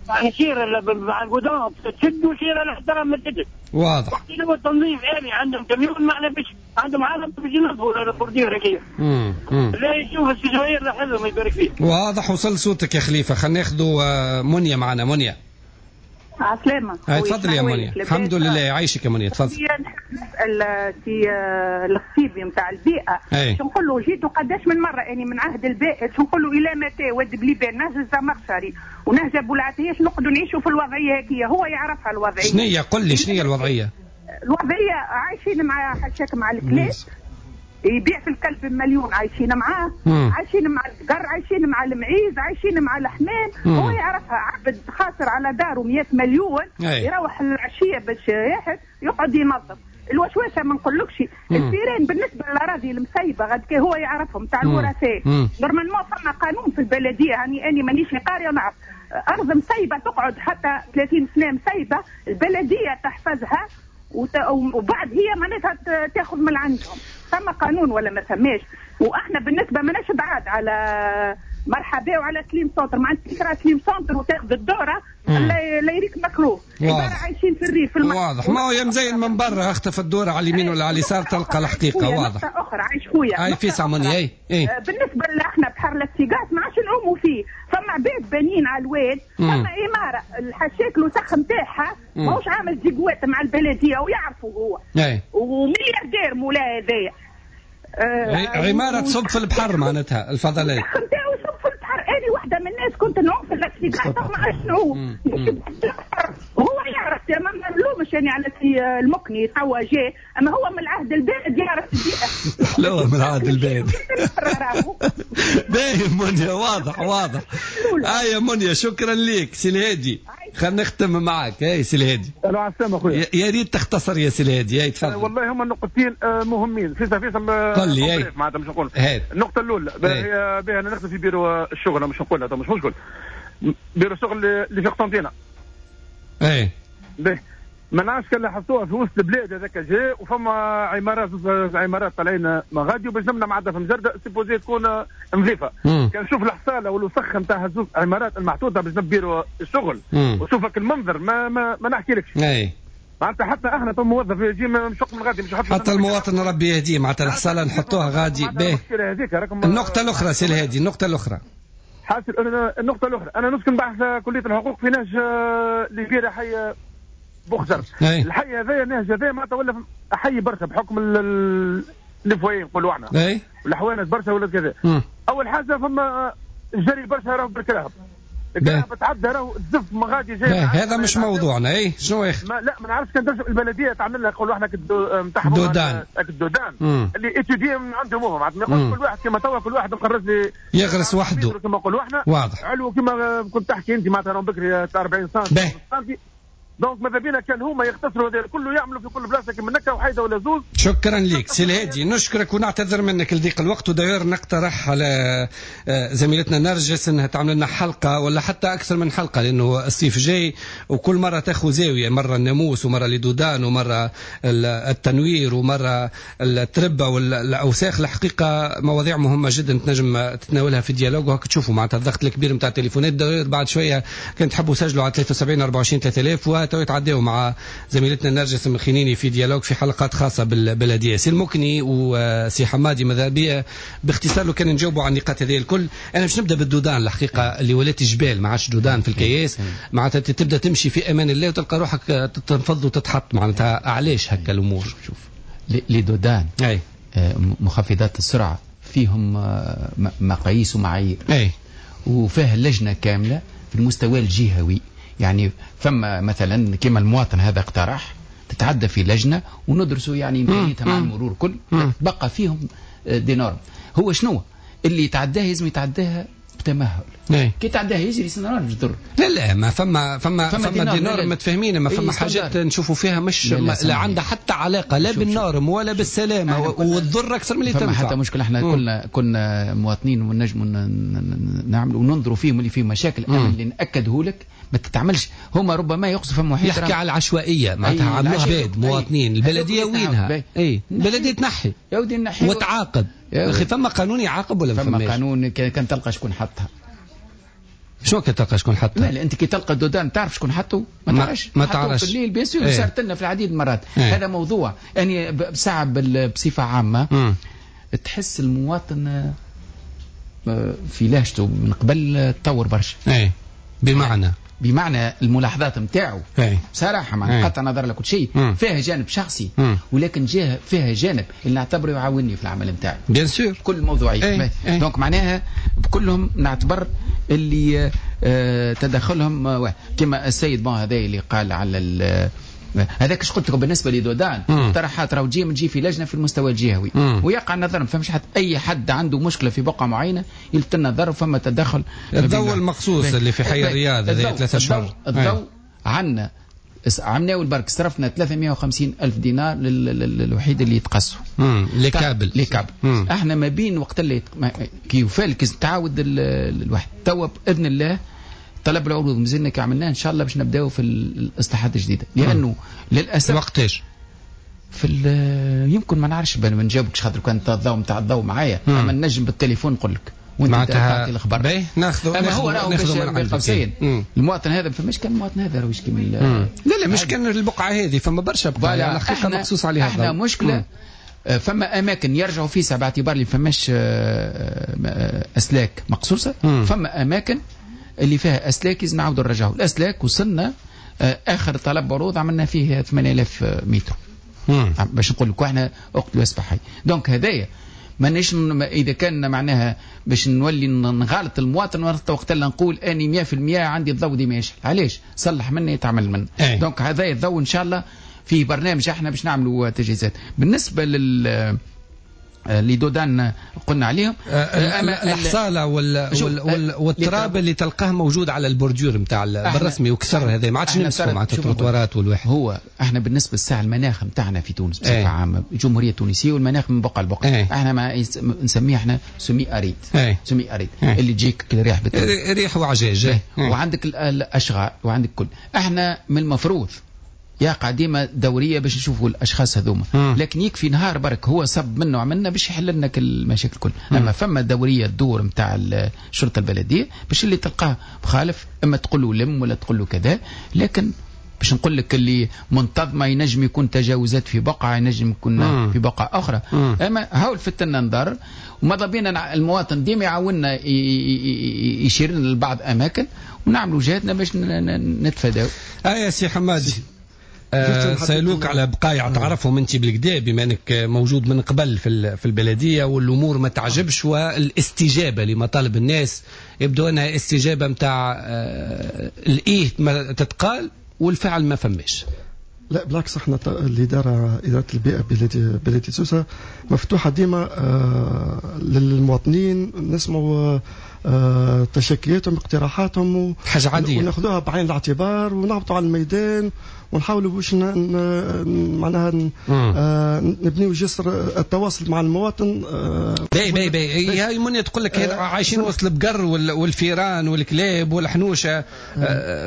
يعني شيرة مع القدام تشد وشيرة الاحترام ما تشدش. واضح. وقت اللي هو التنظيف آلي عندهم كميون معنا باش عندهم عالم باش ينظفوا ال bordure هكايا. لا يشوف السي زهير لاحظهم يبارك فيه. واضح. وصل صوتك يا خليفة. خلينا ناخذوا منيا معنا. منيا عسلامة. تفضل يا منيا. الحمد لله يعيشك يا منيا. تفضل. نسأل في الخصيبي نتاع البيئة شو نقول له جيتو قداش من مرة يعني من عهد البائد شو نقول له إلى متى واد بليبان نهج الزمخشري ونهج أبو العتية نقعدوا نعيشوا في الوضعية هكية. هو يعرفها الوضعية. شنية قل لي شنية الوضعية؟ الوضعية عايشين مع حشاك مع الكلاب، يبيع في الكلب بمليون، عايشين معاه، عايشين مع البقر، عايشين مع المعيز، عايشين مع الحمام. هو يعرفها. عبد خاسر على داره 100 مليون يروح العشية باش ياحد يقعد ينظف الوشوشه. ما نقولكش الفيران بالنسبة للاراضي المسيبه غاد هو يعرفهم تاع الورثاء. normalement فما قانون في البلدية، يعني اني مانيش قارية ونعرف ارض مسيبه تقعد حتى 30 سنة مسيبه البلدية تحفظها وبعد هي معناتها تاخذ من عندهم. ثم قانون ولا ما ثماش؟ واحنا بالنسبة ماناش بعاد على مرحبا وعلى سليم centre، معناتها تكره سليم centre وتاخذ الدورة لا يريك مكروه. عبارة عايشين في الريف. واضح، ما هو يا مزين من برا اختفى الدورة على اليمين ولا على اليسار تلقى الحقيقة. واضح. نقطة اخرى عايش خويا. اي في ساموني. اي اي بالنسبة احنا بحر لاكسيغاس ما عادش نعوموا فيه، فما عباد بانين على الواد، فما عمارة الحشاك الوسخ نتاعها ماهوش عامل زيكوات مع البلدية ويعرفوا هو. اي وملياردير مولا هذايا. عمارة تصب في البحر معناتها الفضلات. نتاعو يصب في البحر. أنا واحدة من الناس كنت نعوم في لاكسيغاس ما عادش نعوم. هو يعرف، ما نلومش يعني على سي المكني توا جاي، أما هو من العهد البائد يعرف البيئة. لا هو من العهد البائد. باهي منيا، واضح واضح. يا منيا شكرا لك سي الهادي، خلينا نختم معك. اي سي الهادي. الو على السلامة خويا. يا ريت تختصر يا سي الهادي. اي تفضل. والله هما النقطتين مهمين. فيصل قل لي. معناتها مش نقول. النقطة الأولى بها أنا نخدم في بيرو الشغل، مش نقولها مش مشكل. بيرو الشغل اللي في قسنطينة. اي باهي، ما نعرفش كان لاحظتوها في وسط البلاد هذاك جاء وفما عمارات، عمارات طالعين مغادي وباش نمنع معناتها في مجرده supposé تكون نظيفة. كان نشوف الحصاله والوسخ نتاع زوج عمارات المحطوطه باش نبيروا الشغل وشوفك المنظر ما ما, ما نحكيلكش. اي معناتها حتى احنا تو موظف يجي مشق من غادي مش حتى المواطن ربي يهديه، معناتها الحصاله نحطوها غادي. باهي النقطة الاخرى سي الهادي، النقطة الاخرى. حاصل النقطة الاخرى، انا نسكن بحث كليه الحقوق في نهج ليبيرا حي بوخزر. الحي هذايا النهج هذايا معناتها ولا حي برشا بحكم les foyers نقولوا احنا. والحوانت برشا ولا كذا. اول حاجة فما الجري برشا راهو بالكراهب. الكراهب تعدى راهو الزف ما غادي جاي. هذا مش موضوعنا. اي شنو يا اخي؟ لا ما نعرفش كان تنجم البلدية تعمل لها نقولوا احنا نتاع dos d'âne. ال dos d'âne اللي étudié من عندهم هما، معناتها كل واحد كما توا كل واحد مقرز لي يغرس وحده كما نقولوا احنا. واضح. علو كما كنت تحكي انت معناتها راهم بكري 40 سم. donc ماذا بينا كان هما يختصروا هذا كله يعملوا في كل بلاصة كيما نكا وحيده ولا زوز. شكرا لك سي الهادي، نشكرك ونعتذر منك لضيق الوقت. وداير نقترح على زميلتنا نرجس انها تعمل لنا حلقة ولا حتى اكثر من حلقة، لانه الصيف جاي وكل مرة تاخذ زاوية، مرة الناموس ومرة les dos d'âne ومرة التنوير ومرة التربة والاوساخ. الحقيقة مواضيع مهمة جدا تنجم تتناولها في dialogue، وهك تشوفوا معناتها الضغط الكبير نتاع التليفونات. داير بعد شوية كان تحبوا سجلوا على 73 24 3000 وتعديوا مع زميلتنا نرجس الخنيني في dialogue في حلقات خاصة بالبلدية. سي المكني وسي حمادي ماذا بيا باختصار لو كان نجاوبوا على النقاط هذه الكل. انا باش نبدا بال dos d'âne الحقيقة اللي ولات جبال ما عادش dos d'âne في الكياس، معناتها تبدا تمشي في امان الله وتلقى روحك تنفض وتتحط. معناتها علاش هكا الامور؟ شوف les dos d'âne اي مخفضات السرعة فيهم مقاييس ومعايير. اي وفيه لجنة كاملة في المستوى الجهوي، يعني فما مثلا كما المواطن هذا اقترح تتعدى في لجنة وندرسوا يعني امكانيتها مع المرور كل بقى فيهم des normes. هو شنو اللي يتعداها لازم يتعداها بتمهل. كي تعداها يجري سنران مش ضر. لا لا ما فما فما فما des normes متفاهمين، ما فما حاجات نشوفوا فيها مش لا عندها حتى علاقة لا بال norme ولا بالسلامة وتضر اكثر من اللي تنفع. فما حتى مشكلة، احنا كنا مواطنين ونجموا نعملوا وننظروا فيهم اللي فيه مشاكل. اما اللي ناكده لك ما تتعملش، هما ربما يقصوا فما محيط يحكي على العشوائية معناتها عملوها عباد مواطنين. البلدية وينها؟ اي البلدية تنحي يا ودي نحي وتعاقب. يا اخي فما قانون يعاقب ولا ما فماش؟ فما قانون كان تلقى شكون حطها. شو كي تلقى شكون حطها؟ لا انت كي تلقى dos d'âne تعرف شكون حطه؟ ما تعرفش. ما تعرفش في الليل bien sûr. صارت لنا في العديد المرات. هذا موضوع يعني ساعة بصفة عامة. تحس المواطن في لهجته من قبل تطور برشا. اي بمعنى الملاحظات نتاعو بصراحة مع قطع نظر لكل شيء فيها جانب شخصي، ولكن فيها جانب اللي نعتبره يعاونني في العمل نتاعي bien sûr كل موضوعي. donc معناها بكلهم نعتبر اللي تدخلهم كما السيد bon هذا اللي قال على هذاك اش قلت لكم بالنسبة ل dos d'âne اقتراحات راهو تجي في لجنة في المستوى الجهوي ويقع النظر. ما فهمش حتى اي حد عنده مشكلة في بقعة معينة يلفت النظر وفما تدخل. الضوء المقصوص اللي في حي الرياض هذه 3 اشهر. الضوء عندنا عملناه البرك صرفنا 350 ألف دينار للوحيد اللي يتقصوا les câbles les câbles. احنا ما بين وقت اللي كي وفالك تعاود الواحد توا باذن الله طلب العروض مازلنا كي عملناه ان شاء الله باش نبداو في الاصلاحات الجديدة، لانه للاسف وقتاش؟ في يمكن ما نعرفش ما نجاوبكش خاطر كان الضوء نتاع الضوء معايا، اما نجم بالتليفون نقول لك وانت تعطي الخبر. باهي ناخذ اما هو راهو بين قوسين المواطن هذا فماش كان المواطن هذا راهو يشكي من لا مش كان البقعة هذه، فما برشا بقعة على الحقيقة مقصوص عليها. احنا مشكلة فما اماكن يرجعوا فيها باعتبار اللي فماش اسلاك مقصوصة، فما اماكن اللي فيها اسلاك لازم نعاودوا نرجعوا الاسلاك. وصلنا اخر طلب عروض عملنا فيه 8000 متر باش نقول لك احنا اقتلوا اسبح حي. donc هذايا مانيش اذا كان معناها باش نولي نغالط المواطن وقت اللي نقول اني 100% عندي الضوء ديما يشعل. علاش؟ صلح مني يتعمل مني. donc هذايا الضوء ان شاء الله في برنامج احنا باش نعملوا تجهيزات. بالنسبة لل les dos d'âne قلنا عليهم الحصاله والتراب اللي تلقاه موجود على ال bordure نتاع بالرسمي وكسر هذا ما عادش نمسكوا مع التروتوارات والواحد. هو احنا بالنسبة للساعة المناخ نتاعنا في تونس بصفة عامة الجمهورية التونسية والمناخ من بقعة لبقعه احنا ما نسميه احنا semi-aride. semi-aride اللي تجيك ريح ريح وعجاج وعندك الاشغال وعندك كل. احنا من المفروض يقع ديما دورية باش نشوفوا الاشخاص هذوما، لكن يكفي نهار برك هو صب منه وعملنا باش يحل لنا كل المشاكل الكل. اما فما دورية تدور نتاع الشرطة البلدية باش اللي تلقاه مخالف اما تقول له لم ولا تقول له كذا، لكن باش نقول لك اللي منتظمة ينجم يكون تجاوزات في بقعة ينجم يكون في بقعة اخرى. اما هاو الفتنا نضر وماذا بينا المواطن ديما يعاوننا يشير لنا لبعض اماكن ونعملوا جهدنا باش نتفاداو. يا سي حمادي سألوك على بقايع تعرفهم انت بالكدا بما انك موجود من قبل في البلدية والامور ما تعجبش والاستجابة لمطالب الناس يبدو انها استجابة نتاع الايه ما تتقال والفعل ما فماش. لا بالعكس احنا الادارة ادارة البيئة بلديه سوسة مفتوحة ديما للمواطنين، نسمعوا تشكياتهم اقتراحاتهم حاجة عادية وناخذوها بعين الاعتبار ونهبطوا على الميدان ونحاولوا باش معناها نبنيو جسر التواصل مع المواطن. باي باي باي هاي منيا تقول لك عايشين وسط البقر والفيران والكلاب والحنوشه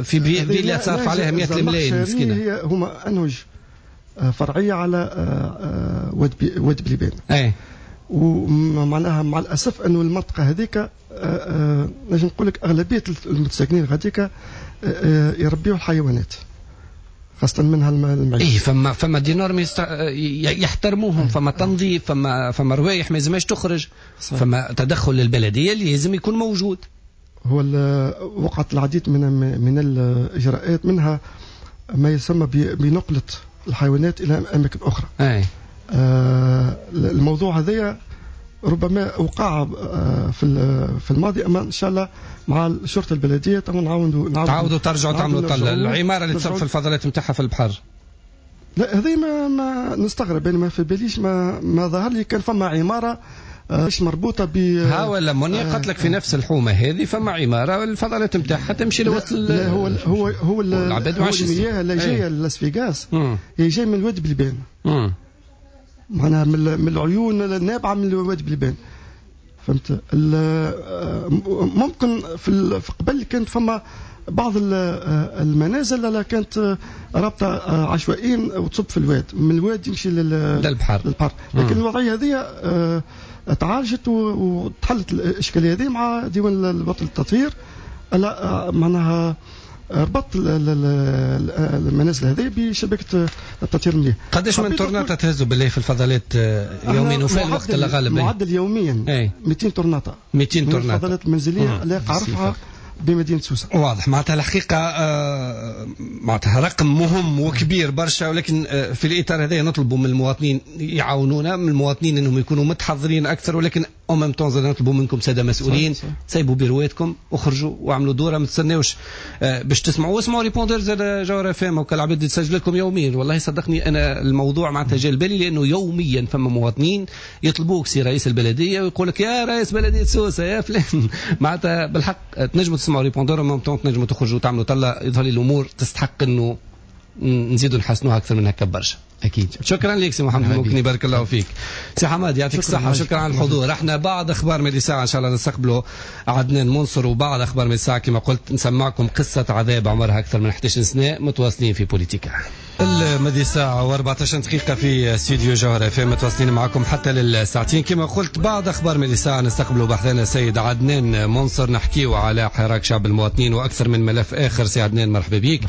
في فيلا صارف عليها 100 ملايين مسكينه. هي هما انهج فرعية على واد بليبان. اي ومعناها مع الاسف انه المنطقة هذيك نجم نقول لك اغلبية المتساكنين غاديك يربيوا الحيوانات خاصة منها المعيش. ايه فما des normes يحترموهم، فما تنظيف، فما روايح ما يلزمهاش تخرج، فما تدخل للبلديه اللي لازم يكون موجود. هو وقعت العديد من الاجراءات، منها ما يسمى بنقله الحيوانات الى اماكن اخرى. اي الموضوع هذايا ربما وقع في الماضي، اما ان شاء الله مع الشرطة البلدية نعاودوا تعاودوا ترجعوا تعملوا طلة العمارة اللي تصرف الفضلات نتاعها في البحر. لا هذه ما نستغرب يعني ما في باليش ما ظهر لي كان فما عمارة مش مربوطة ب ها ولا منيا قالت لك في نفس الحومه هذه فما عمارة الفضلات نتاعها تمشي لوسط. لا هو هو هو المياه اللي جاية لاس فيغاس هي جاية من الواد بلبان، معناها من العيون النابعه من الواد بلبان. فهمت؟ ممكن في قبل كانت فما بعض المنازل اللي كانت رابطه عشوائيا وتصب في الواد، من الواد يمشي للبحر. لكن الوضعية هذه تعالجت وتحلت الاشكالية هذه مع ديوان الوطني للتطهير. معناها ربط المنازل هذه بشبكة التطهير المياه. قداش من طرناطه تهزوا بالله في الفضلات يوميا وفي الوقت الغالب؟ معدل يوميا 200 طرناطه. 200 طرناطه الفضلات المنزلية اللي عرفها بمدينة سوسة. واضح معناتها الحقيقة معناتها رقم مهم وكبير برشا، ولكن في الاطار هذا نطلبوا من المواطنين يعاونونا، من المواطنين انهم يكونوا متحضرين اكثر، ولكن en même temps نطلبوا منكم ساده مسؤولين سيبوا بيرواتكم اخرجوا واعملوا دوره، ما تستناوش باش تسمعوا، واسمعوا répondeur زاد جوهرة FM وكل عباد تسجل لكم يوميا. والله صدقني انا الموضوع معناتها جا لبالي لانه يوميا فما مواطنين يطلبوك سي رئيس البلدية ويقول لك يا رئيس بلديه سوسة يا فلان. معناتها بالحق تنجموا تسمعوا répondeur même temps تنجموا تخرجوا وتعملوا طلة. يظهر لي الامور تستحق انه نزيدوا نحسنوها اكثر من هكا برشا. اكيد. شكرا لك سي محمد المكني، بارك الله فيك. سي حماد يعطيك الصحة، شكرا على الحضور. احنا بعد اخبار مدي ساعة ان شاء الله نستقبلوا عدنان منصر، وبعد اخبار مدي ساعة كما قلت نسمعكم قصة عذاب عمرها اكثر من 11 سنة. متواصلين في بوليتيكا. الماضي ساعة و14 دقيقة في استوديو جوهرة FM، متواصلين معكم حتى للساعتين كما قلت. بعد أخبار من الساعة نستقبل بحثنا السيد عدنان منصر، نحكيه على حراك شعب المواطنين وأكثر من ملف آخر. سي عدنان مرحبا بك.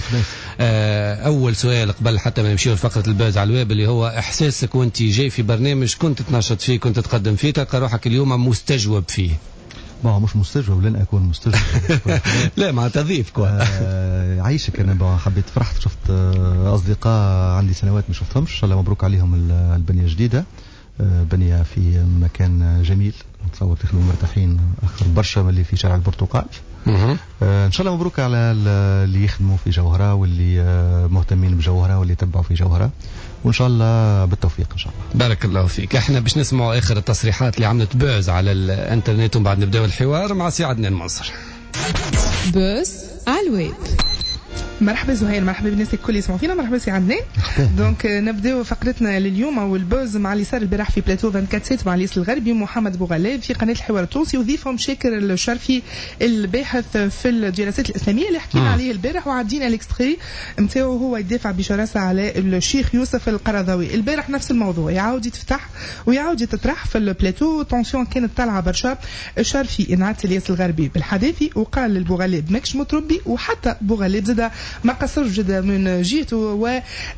أول سؤال قبل حتى ما نمشيو لفقرة ال buzz على الويب، اللي هو إحساسك وأنت جاي في برنامج كنت تنشط فيه، كنت تقدم فيه، تلقى روحك اليوم مستجوب فيه. ما مش مستجوب، لن أكون مستجوب. لا مع تضيف quoi. عايشك. أنا حبيت فرحت، شفت أصدقاء عندي سنوات ما شفتهمش، إن شاء الله مبروك عليهم البنية الجديدة، بنية في مكان جميل، نتصور تخدموا مرتاحين أكثر برشا من اللي في شارع البرتقال. إن شاء الله مبروك على اللي يخدموا في جوهرة واللي مهتمين بجوهرة واللي يتبعوا في جوهرة، وإن شاء الله بالتوفيق إن شاء الله. بارك الله فيك. احنا باش نسمعوا آخر التصريحات اللي عملت buzz على الانترنت، ومن بعد نبداو الحوار مع سي عدنان منصر. buzz على الويب. مرحبا زهير، مرحبا بالناس الكل يسمعوا فينا، مرحبا سي عدنان. donc نبداو فقرتنا لليوم او ال buzz مع اللي صار البارح في بلاتو 24/7 مع الياس الغربي ومحمد بوغلاب في قناة الحوار التونسي، وضيفهم شاكر الشرفي الباحث في الدراسات الاسلامية اللي حكينا عليه البارح وعدينا l'extrait نتاعو هو يدافع بشراسة على الشيخ يوسف القرضاوي. البارح نفس الموضوع يعاود يتفتح ويعاود يتطرح في ال plateau، tension كانت طالعه برشا. الشرفي انعت الياس الغربي بالحداثي وقال للبوغلاب ماكش متربي، وحتى بوغلاب زاد ما قصرش جدا من جهته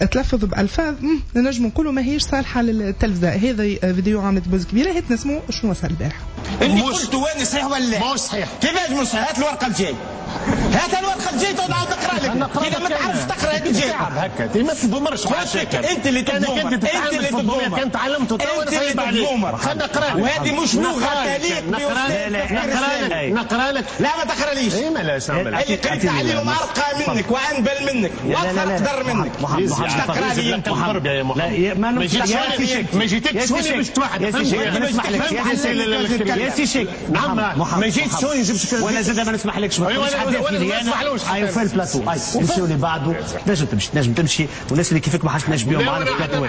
وتلفظ بألفاظ نجم نقولوا ما هيش صالحة للتلفزة. هذا فيديو عملت buzz كبيرة، هات نسمو شنو صار البارح. اللي قلت وين صحيح ولا ماهوش صحيح؟ كيفاش مش صحيح؟ هات الورقة الجاي، هات الورقة الجاي تقعد تقرا لك، إذا ما تعرفش تقرا هات الجاي. هكا انت ما تضمرش انت اللي تضمر، انت اللي تضمر، كان تعلمت انت اللي تضمر. خلينا نقرا لك، وهذه مش لغة تليق. نقرا لك. لا ما تقراليش. اي ما لاش نعمل؟ اللي قريت عليهم ارقى منك وانبل منك واكثر قدر منك. مش تقرا لي انت الضرب يا محمد. ما جيتكش هوني باش توحد. ما نسمحلكش يا سي شيك. نعم ما جيتش هوني جبت. وانا زاد ما نسمحلكش. ايوا في البلاتو نمشيو اللي بعده. تنجم تمشي، تنجم تمشي، والناس اللي كيفك ما حاش تنجم بيهم معنا في البلاتو.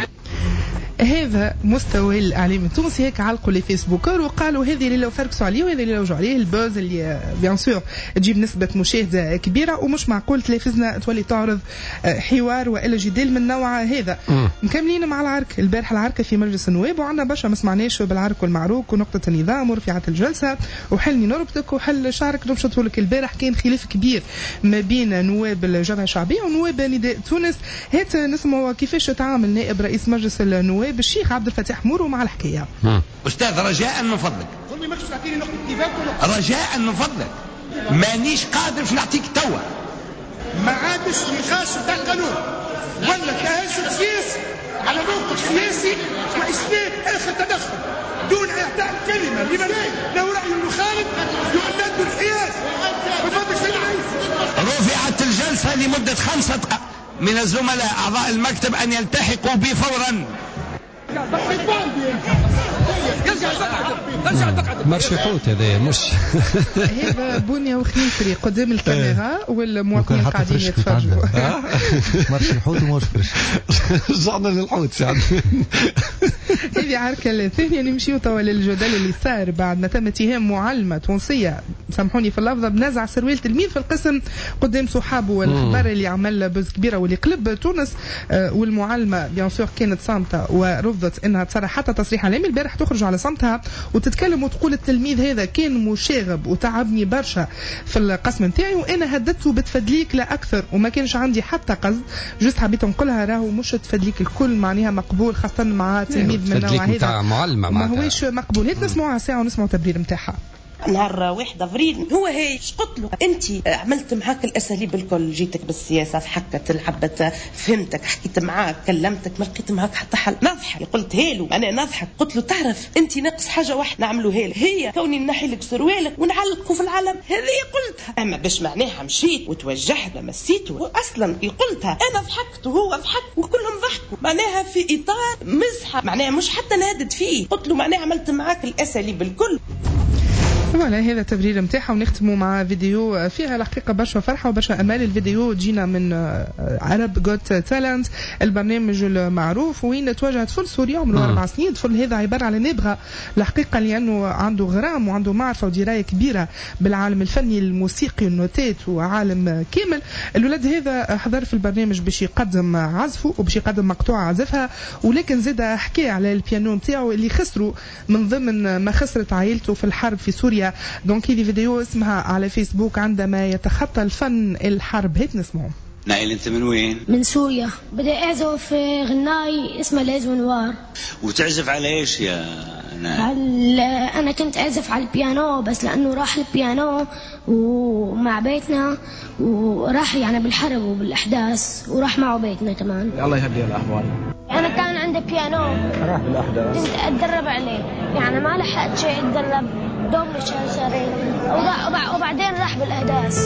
هذا مستوى الاعلام التونسي. هيك علقوا les facebookeurs وقالوا هذه اللي لو فركسوا عليه وهذه اللي لوجوا عليه. ال buzz اللي bien sûr تجيب نسبه مشاهده كبيرة، ومش معقول تلفزنا تولي تعرض حوار والا جدال من النوع هذا. مكملين مع العرك البارح، العركه في مجلس النواب، وعندنا برشا ما سمعناش بالعرك والمعروك ونقطة النظام ورفعت الجلسة وحلني نربطك وحل شعرك نبشطه لك. البارح كان خلاف كبير ما بين نواب الجبهة الشعبية ونواب نداء تونس. هات نسمعوا كيفاش تعامل نائب رئيس مجلس النواب الشيخ عبد الفتاح مورو مع الحكاية. استاذ رجاء من فضلك، رجاء من فضلك، مانيش قادر باش نعطيك توا. ما عادش نقاش نتاع القانون ولا تهجم سياسي على موقف سياسي واسناد اخر تدخل دون اعطاء الكلمة لمن له راي مخالف يعتد الحياد. رفعت الجلسة لمدة 5 دقائق. من الزملاء اعضاء المكتب ان يلتحقوا بي فورا. marché حوت هذا مش هذا بنية وخنيفري قدام الكاميرا والمواطنين قاعدين يتفرجوا. marché الحوت وماهوش fraîche. رجعنا للحوت سي. هذه عركة الثانية. نمشيو توا للجدل اللي صار بعد ما تم اتهام معلمة تونسية، سامحوني في اللفظة، بنزع سروال تلميذ في القسم قدام صحابه، والخبر اللي عمل buzz كبيرة واللي قلب تونس. والمعلمة bien sûr كانت صامتة ورفضت انها تصرح حتى تصريح اعلامي. البارح تخرج على صمتها وتتكلم وتقول التلميذ هذا كان مشاغب وتعبني برشا في القسم نتاعي، وانا هددته بتفدليك لا اكثر، وما كانش عندي حتى قصد، juste حبيت نقولها راهو مش تفدليك الكل معناها مقبول، خاصة مع تلميذ من النوع هذا ما هوش مقبول. هات نسمعوها ساعة ونسمعوا التبرير نتاعها. نهار 1 افريل هو هي قلت له انت عملت معاك الاساليب الكل، جيتك بالسياسة ضحكت لعبت فهمتك حكيت معاك كلمتك ما لقيت معاك حتى حل، نضحك قلت هالو انا نضحك، قلت له تعرف انت ناقص حاجة واحدة نعملوها لك، هي كوني نحي لك سروالك ونعلقه في العلم، هذه قلتها. اما باش معناها مشيت وتوجهت لمسيته اصلا كي قلتها انا ضحكت وهو ضحك وكلهم ضحكوا، معناها في اطار مزحة، معناها مش حتى نهدد فيه، قلت له معناها عملت معاك الاساليب الكل. voilà هذا التبرير نتاعها، ونختموا مع فيديو فيها الحقيقة برشا فرحه وبرشا امال. الفيديو جينا من Arabs Got Talent، البرنامج المعروف، وين توجه طفل سوري عمره 4 سنين. الطفل هذا عبارة على نابغه الحقيقة، لانه عنده غرام وعنده معرفة ودراية كبيرة بالعالم الفني الموسيقي النوتات وعالم كامل. الولد هذا حضر في البرنامج باش يقدم عزفه وباش يقدم مقطوعة عزفها، ولكن زاد حكى على البيانو نتاعو اللي خسره من ضمن ما خسرت عائلته في الحرب في سوريا. donc هذه فيديو اسمها على فيسبوك عندما يتخطى الفن الحرب. هات نسمعه. نايل انت من وين؟ من سوريا. بدي اعزف غناي اسمها ليز ونوار. وتعزف على ايش يا نايل؟ انا كنت اعزف على البيانو، بس لانه راح البيانو ومع بيتنا وراح يعني بالحرب وبالاحداث وراح معه بيتنا كمان. الله يهدي الاحوال. انا كان عندي بيانو راح بالاحداث، كنت اتدرب عليه، يعني ما لحقت شيء اتدرب دوب شهرين وبعدين راح بالاحداث.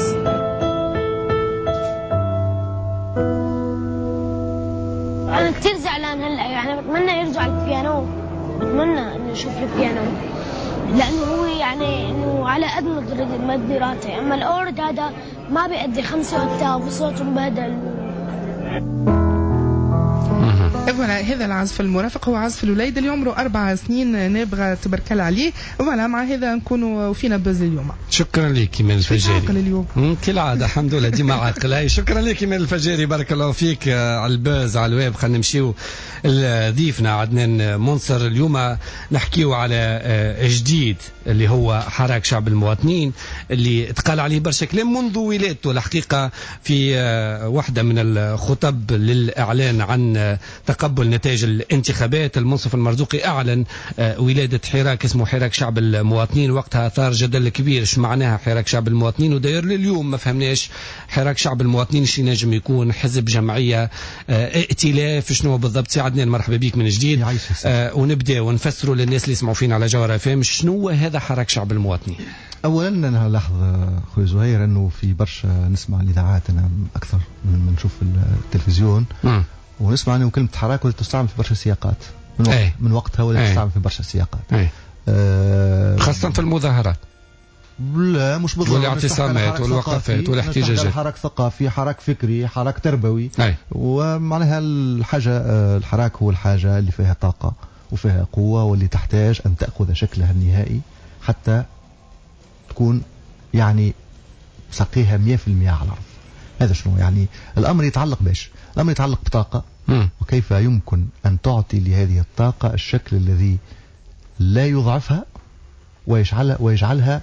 أنا كثير زعلان هلا، يعني بتمنى يرجع البيانو، بتمنى إنه أشوف البيانو، لأنه هو يعني إنه على قد مقدراتي، أما الأورد هذا ما بيأدي 5 أوكتاف وصوته مبهدل. voilà هذا العزف المرافق هو عزف الوليد اللي عمره 4 سنين، نابغه تبارك الله عليه. voilà مع هذا نكونوا وفينا buzz اليوم. شكرا لك من الفجاري. عاقل اليوم كالعادة الحمد لله ديما عاقل. شكرا لك من الفجاري، بارك الله فيك على ال buzz على الويب. خلينا نمشيو لضيفنا عدنان منصر. اليوم نحكيو على جديد اللي هو حراك شعب المواطنين اللي تقال عليه برشا كلام منذ ولادته الحقيقة، في واحدة من الخطب للاعلان عن تقبل نتائج الانتخابات المنصف المرزوقي أعلن ولادة حراك اسمه حراك شعب المواطنين. وقتها ثار جدل كبير ايش معناها حراك شعب المواطنين، وداير لليوم ما فهمناش حراك شعب المواطنين شي نجم يكون، حزب، جمعية، ائتلاف، شنو بالضبط. سي عدنان مرحبا بك من جديد. ونبدا ونفسروا للناس اللي يسمعوا فينا على جوهرة FM شنو هذا حراك شعب المواطنين. اولا انا لاحظ خويا زهير انه في برشا نسمع الاذاعات انا اكثر من نشوف التلفزيون ونسمع انه كلمة حراك ولا تستعمل في برشا سياقات من وقتها ولا تستعمل في برشا سياقات، خاصة في المظاهرات. لا مش بالضبط، والاعتصامات والوقفات والاحتجاجات. حراك ثقافي، حراك فكري، حراك تربوي. ومعناها الحاجة الحراك هو الحاجة اللي فيها طاقة وفيها قوة واللي تحتاج ان تاخذ شكلها النهائي حتى تكون يعني سقيها 100% على الارض. هذا شنو يعني الامر يتعلق باش؟ الامر يتعلق بطاقة، وكيف يمكن ان تعطي لهذه الطاقة الشكل الذي لا يضعفها ويجعلها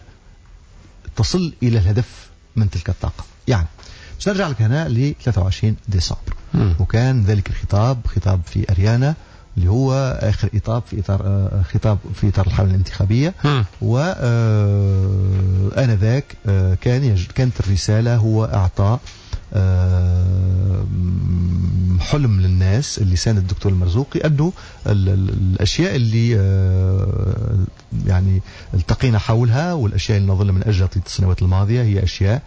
تصل الى الهدف من تلك الطاقة. يعني باش نرجع لك هنا ل 23 ديسمبر، وكان ذلك الخطاب خطاب في اريانا اللي هو اخر اطار في اطار خطاب في اطار الحملة الانتخابية. وانذاك كانت الرسالة هو اعطاء حلم للناس اللي ساند الدكتور المرزوقي انه الاشياء اللي يعني التقينا حولها والاشياء اللي نظل من اجلها طيلة السنوات الماضية هي اشياء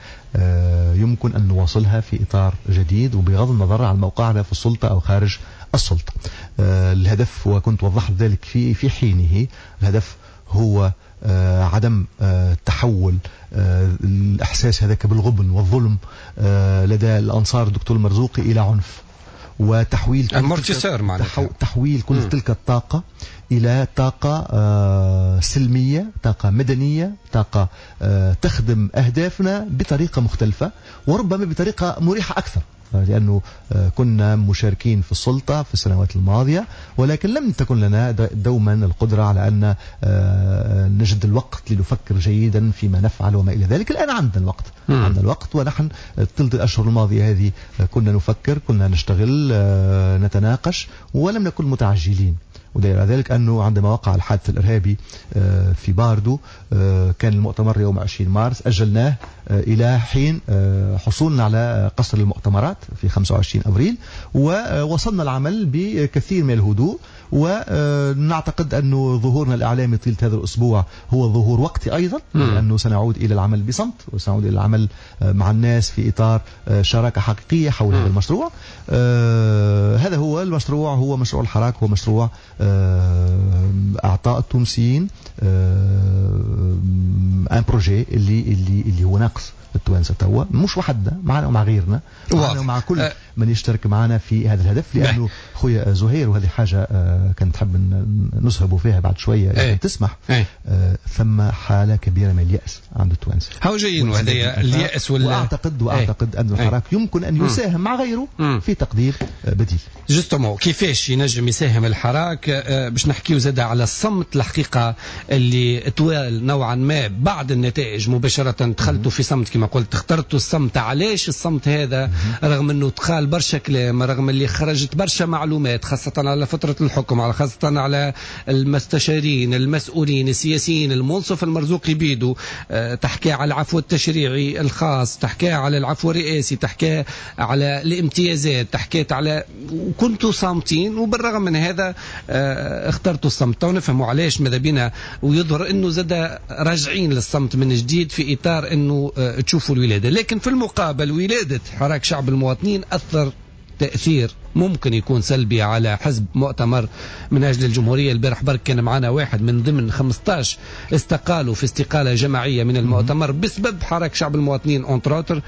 يمكن ان نواصلها في اطار جديد وبغض النظر عن موقعنا في السلطة او خارج السلطة. الهدف، وكنت وضحت ذلك في حينه، الهدف هو عدم تحول الإحساس هذاك بالغبن والظلم لدى الأنصار الدكتور المرزوقي إلى عنف، وتحويل تحويل كل تلك الطاقة إلى طاقة سلمية، طاقة مدنية، طاقة تخدم أهدافنا بطريقة مختلفة وربما بطريقة مريحة أكثر، لأنه كنا مشاركين في السلطة في السنوات الماضية ولكن لم تكن لنا دوما القدرة على أن نجد الوقت لنفكر جيدا فيما نفعل وما إلى ذلك. الآن عندنا الوقت، عندنا الوقت، ونحن ثلث الأشهر الماضية هذه كنا نفكر، كنا نشتغل، نتناقش، ولم نكن متعجلين. ودليل على ذلك أنه عندما وقع الحادث الإرهابي في باردو كان المؤتمر يوم 20 مارس، أجلناه إلى حين حصولنا على قصر المؤتمرات في 25 أبريل، ووصلنا العمل بكثير من الهدوء. ونعتقد أنه ظهورنا الإعلامي طيلة هذا الأسبوع هو ظهور وقتي أيضا، لأنه سنعود إلى العمل بصمت وسنعود إلى العمل مع الناس في إطار شراكة حقيقية حول هذا المشروع. هذا هو المشروع، هو مشروع الحراك، هو مشروع أعطاء التونسيين projet اللي هو ناقص التوانسة توا، مش وحدنا، معنا ومع غيرنا، معنا ومع كل من يشترك معنا في هذا الهدف. لانه خويا زهير، وهذه حاجة كنت تحب نسهبوا فيها بعد شوية تسمح، ثم حاله كبيرة من الياس عند التوانسة. هاو جايين وهذا الياس واعتقد ان الحراك يمكن ان يساهم مع غيره في تقدير بديل. justement كيفاش ينجم يساهم الحراك؟ باش نحكيو زاد على الصمت الحقيقة اللي طوال نوعا ما بعد النتائج مباشرة دخلتوا في صمت كما قلت، اخترتوا الصمت. علاش الصمت هذا رغم انه تقال برشا كلام، رغم اللي خرجت برشا معلومات خاصة على فترة الحكم، على خاصة على المستشارين المسؤولين السياسيين، المنصف المرزوقي بيدو تحكي على العفو التشريعي الخاص، تحكي على العفو الرئاسي، تحكي على الامتيازات، تحكيت على، وكنتوا صامتين، وبالرغم من هذا اخترتوا الصمت. ونفهموا علاش ماذا بينا، ويظهر انه زاد راجعين للصمت من جديد في اطار انه تشوفوا الولادة. لكن في المقابل ولادة حراك شعب المواطنين أثر تأثير ممكن يكون سلبي على حزب مؤتمر من أجل الجمهورية. البارح برك كان معنا واحد من ضمن 15 استقالوا في استقالة جماعية من المؤتمر بسبب حراك شعب المواطنين entre autres،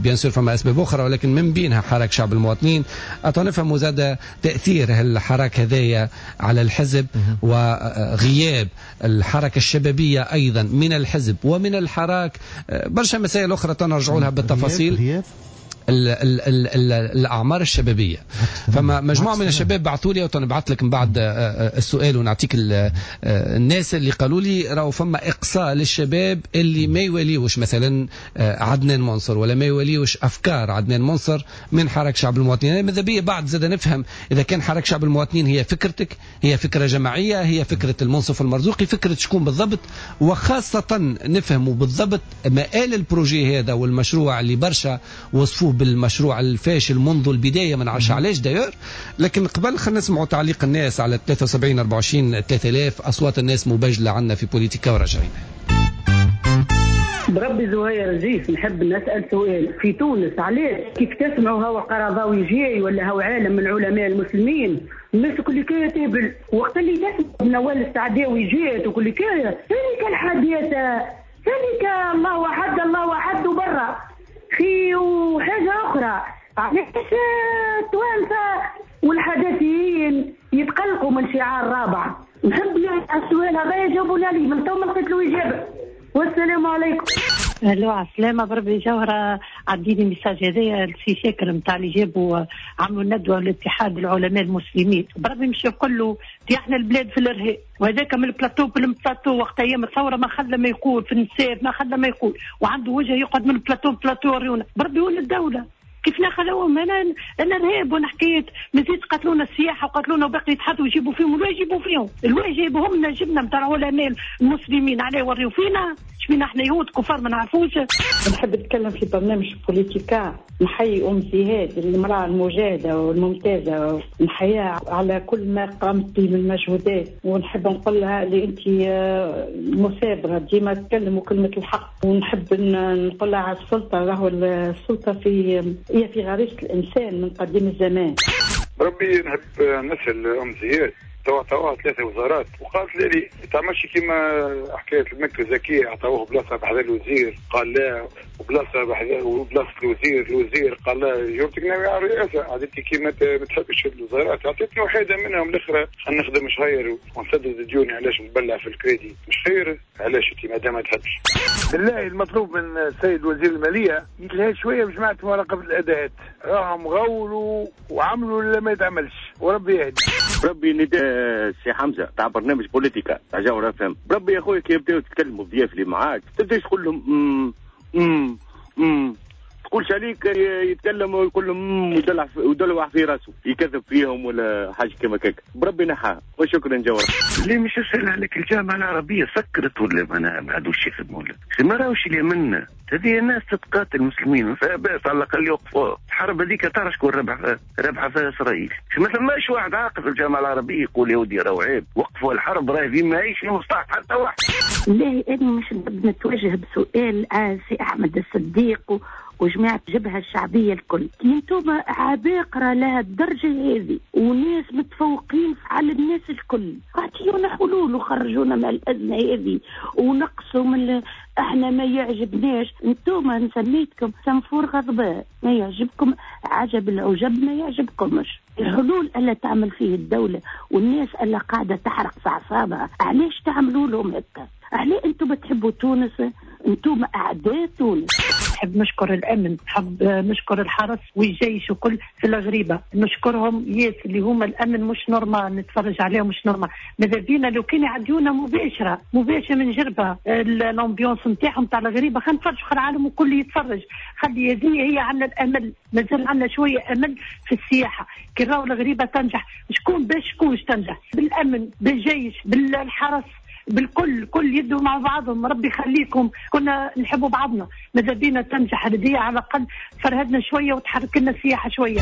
bien sûr فما أسباب أخرى ولكن من بينها حراك شعب المواطنين. أتنفهم زاد تأثير الحراك هذايا على الحزب وغياب الحركة الشبابية أيضا من الحزب ومن الحراك، برشا مسائل أخرى تنرجعوا لها بالتفاصيل. ال ال ال ال الأعمار الشبابية، فما مجموعة من الشباب بعثوا لي، وتنبعث لك من بعد السؤال ونعطيك الناس اللي قالوا لي راهو فما إقصاء للشباب اللي ما يوليوش مثلا عدنان منصر ولا ما يوليوش أفكار عدنان منصر من حركة شعب المواطنين. ماذا بيا بعد زاد نفهم إذا كان حركة شعب المواطنين هي فكرتك، هي فكرة جماعية، هي فكرة المنصف المرزوقي، فكرة شكون بالضبط، وخاصة نفهموا بالضبط مآل ال projet هذا والمشروع اللي برشا وصفوه بالمشروع الفاشل منذ البداية، ما نعرفش علاش d'ailleurs. لكن قبل خلينا نسمعوا تعليق الناس على 73 24 3000، أصوات الناس مبجلة عنا في بوليتيكا وراجعين. بربي زهير زيف نحب نسأل سؤال في تونس، علاش كيف تسمعوا هو قرضاوي جاي ولا هو عالم من علماء المسلمين الناس كل كاية تهبل، وقت اللي تسمع نوال السعداوي جات وكل كاية ذلك الحديثة ذلك الله أحد الله أحد وبرا في وحاجة أخرى. علاش التوانسة والحداثيين يتقلقوا من شعار رابع؟ نحب السؤال هذا يجاوبوا عليه، من تو ما لقيت له إجابة. والسلام عليكم. الو على السلامة. بربي جوهرة عديني message هذايا لسي شاكر نتاع اللي جابوا عملوا ندوة لاتحاد العلماء المسلمين، بربي مش يقول له احنا البلاد في الارهاب، وهذاك من ال plateau بال plateau وقت ايام الثورة ما خلى ما يقول في النساء، ما خلى ما يقول، وعنده وجه يقعد من plateau plateau وريونا. بربي وين الدولة؟ كيف نخلوهم؟ انا ارهاب وانا حكيت مزيد قتلونا السياحة وقتلونا وباقي يتحدوا ويجيبوا فيهم، الواجب يجيبوا فيهم، الواجب جايبهم لنا، جبنا نتاع العلماء المسلمين علاه يوريو فينا؟ شبينا احنا يهود كفار ما نعرفوش. نحب نتكلم في برنامج بوليتيكا، نحيي ام زهاد المراة المجاهدة والممتازه، نحييها على كل ما قامت به من مجهودات، ونحب نقول لها اللي انت مثابره ديما تكلم وكلمه الحق، ونحب نقول لها على السلطة، راهو السلطة هي في غريزة الانسان من قديم الزمان. ربي نحب نسال ام زهاد توا 3 وزارات وقالت لي تعملش كيما حكاية المكة الذكية، عطاوه بلاصة بحذا الوزير قال لا، وبلاصه بحذا وبلاصه الوزير قال لا، جاوبتك ناوي على الرئاسة عادتي كيما ما تحبش الوزارات، عطيتني وحيده منهم الاخرى خلينا نخدم شهير ونسدد ديوني، علاش نبلع في الكريدي مش خير؟ علاش انت ما دام ما تحبش؟ بالله المطلوب من السيد وزير المالية يتلهى شوية بجماعة مراقبة الاداءات، راهم غولوا وعملوا اللي ما يتعملش، وربي يهدي. ربي نداء سي حمزة تاع برنامج بوليتيكا تاع جوهرة اف ام، بربي يا خويا كي يبداو يتكلموا الضياف اللي معاك تبداش تقول لهم ام ام تقولش عليك يتكلم ويقول لهم ويدلع في راسه يكذب فيهم ولا حاجة كما كاك، بربي نحاها. وشكرا جوهر. اللي مش يسأل عليك الجامعة العربية سكرت ولا ما عادوش يخدموا ولا ما راوش اللي منا هذه الناس تتقاتل المسلمين فباس على الاقل يوقفوا الحرب هذيك، تعرف شكون ربح ربحها فيها اسرائيل، ما ثماش واحد عاقل في الجامعة العربية يقول يا ودي راهو عيب وقفوا الحرب راهي في ماهيش في مصلحة حتى واحد. لا انا مش نتوجه بسؤال سي احمد الصديق وجماعة الجبهة الشعبية الكل، انتم عباقرة لها الدرجة هذه وناس متفوقين على الناس الكل، اعطيونا حلول وخرجونا من الأزمة هذه ونقصوا من احنا ما يعجبناش انتوما، نسميتكم سنفور غضباء، ما يعجبكم عجب العجب، ما يعجبكمش الحلول اللي تعمل فيه الدولة والناس اللي قاعدة تحرق في أعصابها. علاش تعملوا لهم هكا؟ علاش انتم بتحبوا تونس؟ انتم أعداء تونس. نحب نشكر الأمن، نحب نشكر الحرس والجيش وكل في الغريبة، نشكرهم ياس اللي هما الأمن مش normal، نتفرج عليهم مش normal. ماذا بينا لو كان يعديونا مباشرة مباشرة من جربة ال ambiance نتاعهم تاع الغريبة، خلينا نتفرج خلي العالم الكل يتفرج، خلي هذه هي عندنا الأمل، مازال عندنا شوية أمل في السياحة. كي راهو الغريبة تنجح، شكون باش شكون تنجح؟ بالأمن، بالجيش، بالحرس، بالكل، كل يدوا مع بعضهم. ربي يخليكم، كنا نحبوا بعضنا، ماذا بينا تنجح هذه على الأقل فرهدنا شوية وتحرك لنا السياحة شوية.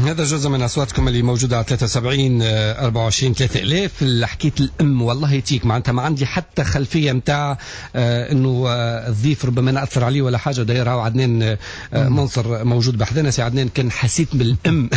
هذا جزء من أصواتكم اللي موجودة على 73 24 3000. حكيت الأم والله يتيك، معناتها ما عندي حتى خلفية متاع إنه الضيف ربما نأثر عليه ولا حاجة. داير هاو عدنان منصر موجود بحذنا. سي عدنان كان حسيت بالأم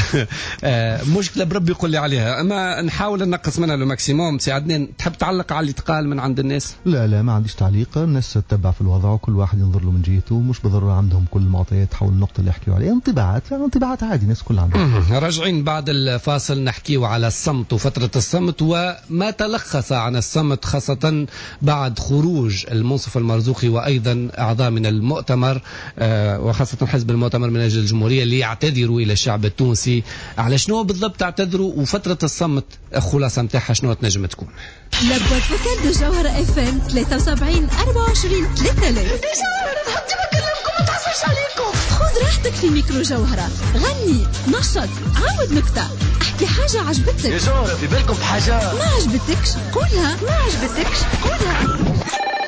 مشكلة بربي يقول لي عليها، أما نحاول نقص منها le maximum. سي عدنان تحب تعلق على اللي تقال من عند الناس؟ لا لا، ما عنديش تعليق. الناس تتبع في الوضع وكل واحد ينظر له من جهته، مش بالضرورة عندهم كل المعطيات حول النقطة اللي يحكيوا عليها. انطباعات يعني انطباعات عادي، الناس كلها عندهم. راجعين بعد الفاصل نحكيو على الصمت وفترة الصمت وما تلخص عن الصمت، خاصة بعد خروج المنصف المرزوقي وأيضا أعضاء من المؤتمر وخاصة حزب المؤتمر من أجل الجمهورية اللي يعتذروا إلى الشعب التونسي. على شنو بالضبط اعتذروا وفترة الصمت خلاصة متاعها شنو تنجم تكون؟ la boîte vocale de جوهرة FM 73 24 3000. ما عليكم، خذ راحتك في ميكرو جوهرة، غني، نشط، عاود نكتة، احكي حاجة عجبتك. يا جوهرة في بالكم بحاجة ما عجبتكش قولها، ما عجبتكش قولها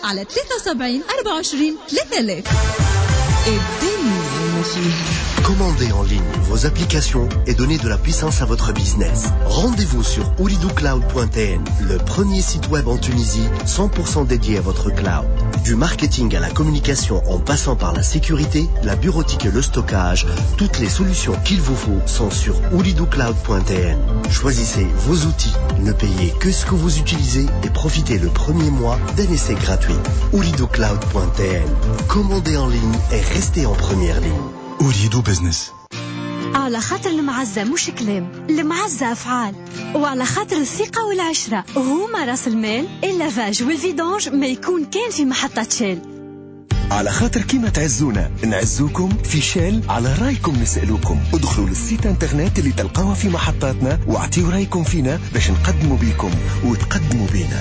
على 73 24 3000. الدنيا ما فيها. Commandez en ligne vos applications et donnez de la puissance à votre business. Rendez-vous sur ooredocloud.tn, le premier site web en Tunisie 100% dédié à votre cloud. Du marketing à la communication en passant par la sécurité, la bureautique et le stockage, toutes les solutions qu'il vous faut sont sur ooredocloud.tn. Choisissez vos outils, ne payez que ce que vous utilisez et profitez le premier mois d'un essai gratuit. ooredocloud.tn. Commandez en ligne et restez en première ligne. Ooredoo Business. على خاطر المعزة مش كلام، المعزة أفعال، وعلى خاطر الثقة والعشرة هما راس المال. ال lavage وال vidange ما يكون كان في محطة Shell. على خاطر كيما تعزونا نعزوكم في Shell، على رايكم نسألوكم. ادخلوا لل site internet اللي تلقاوها في محطاتنا واعطيوا رايكم فينا باش نقدموا بيكم وتقدموا بينا.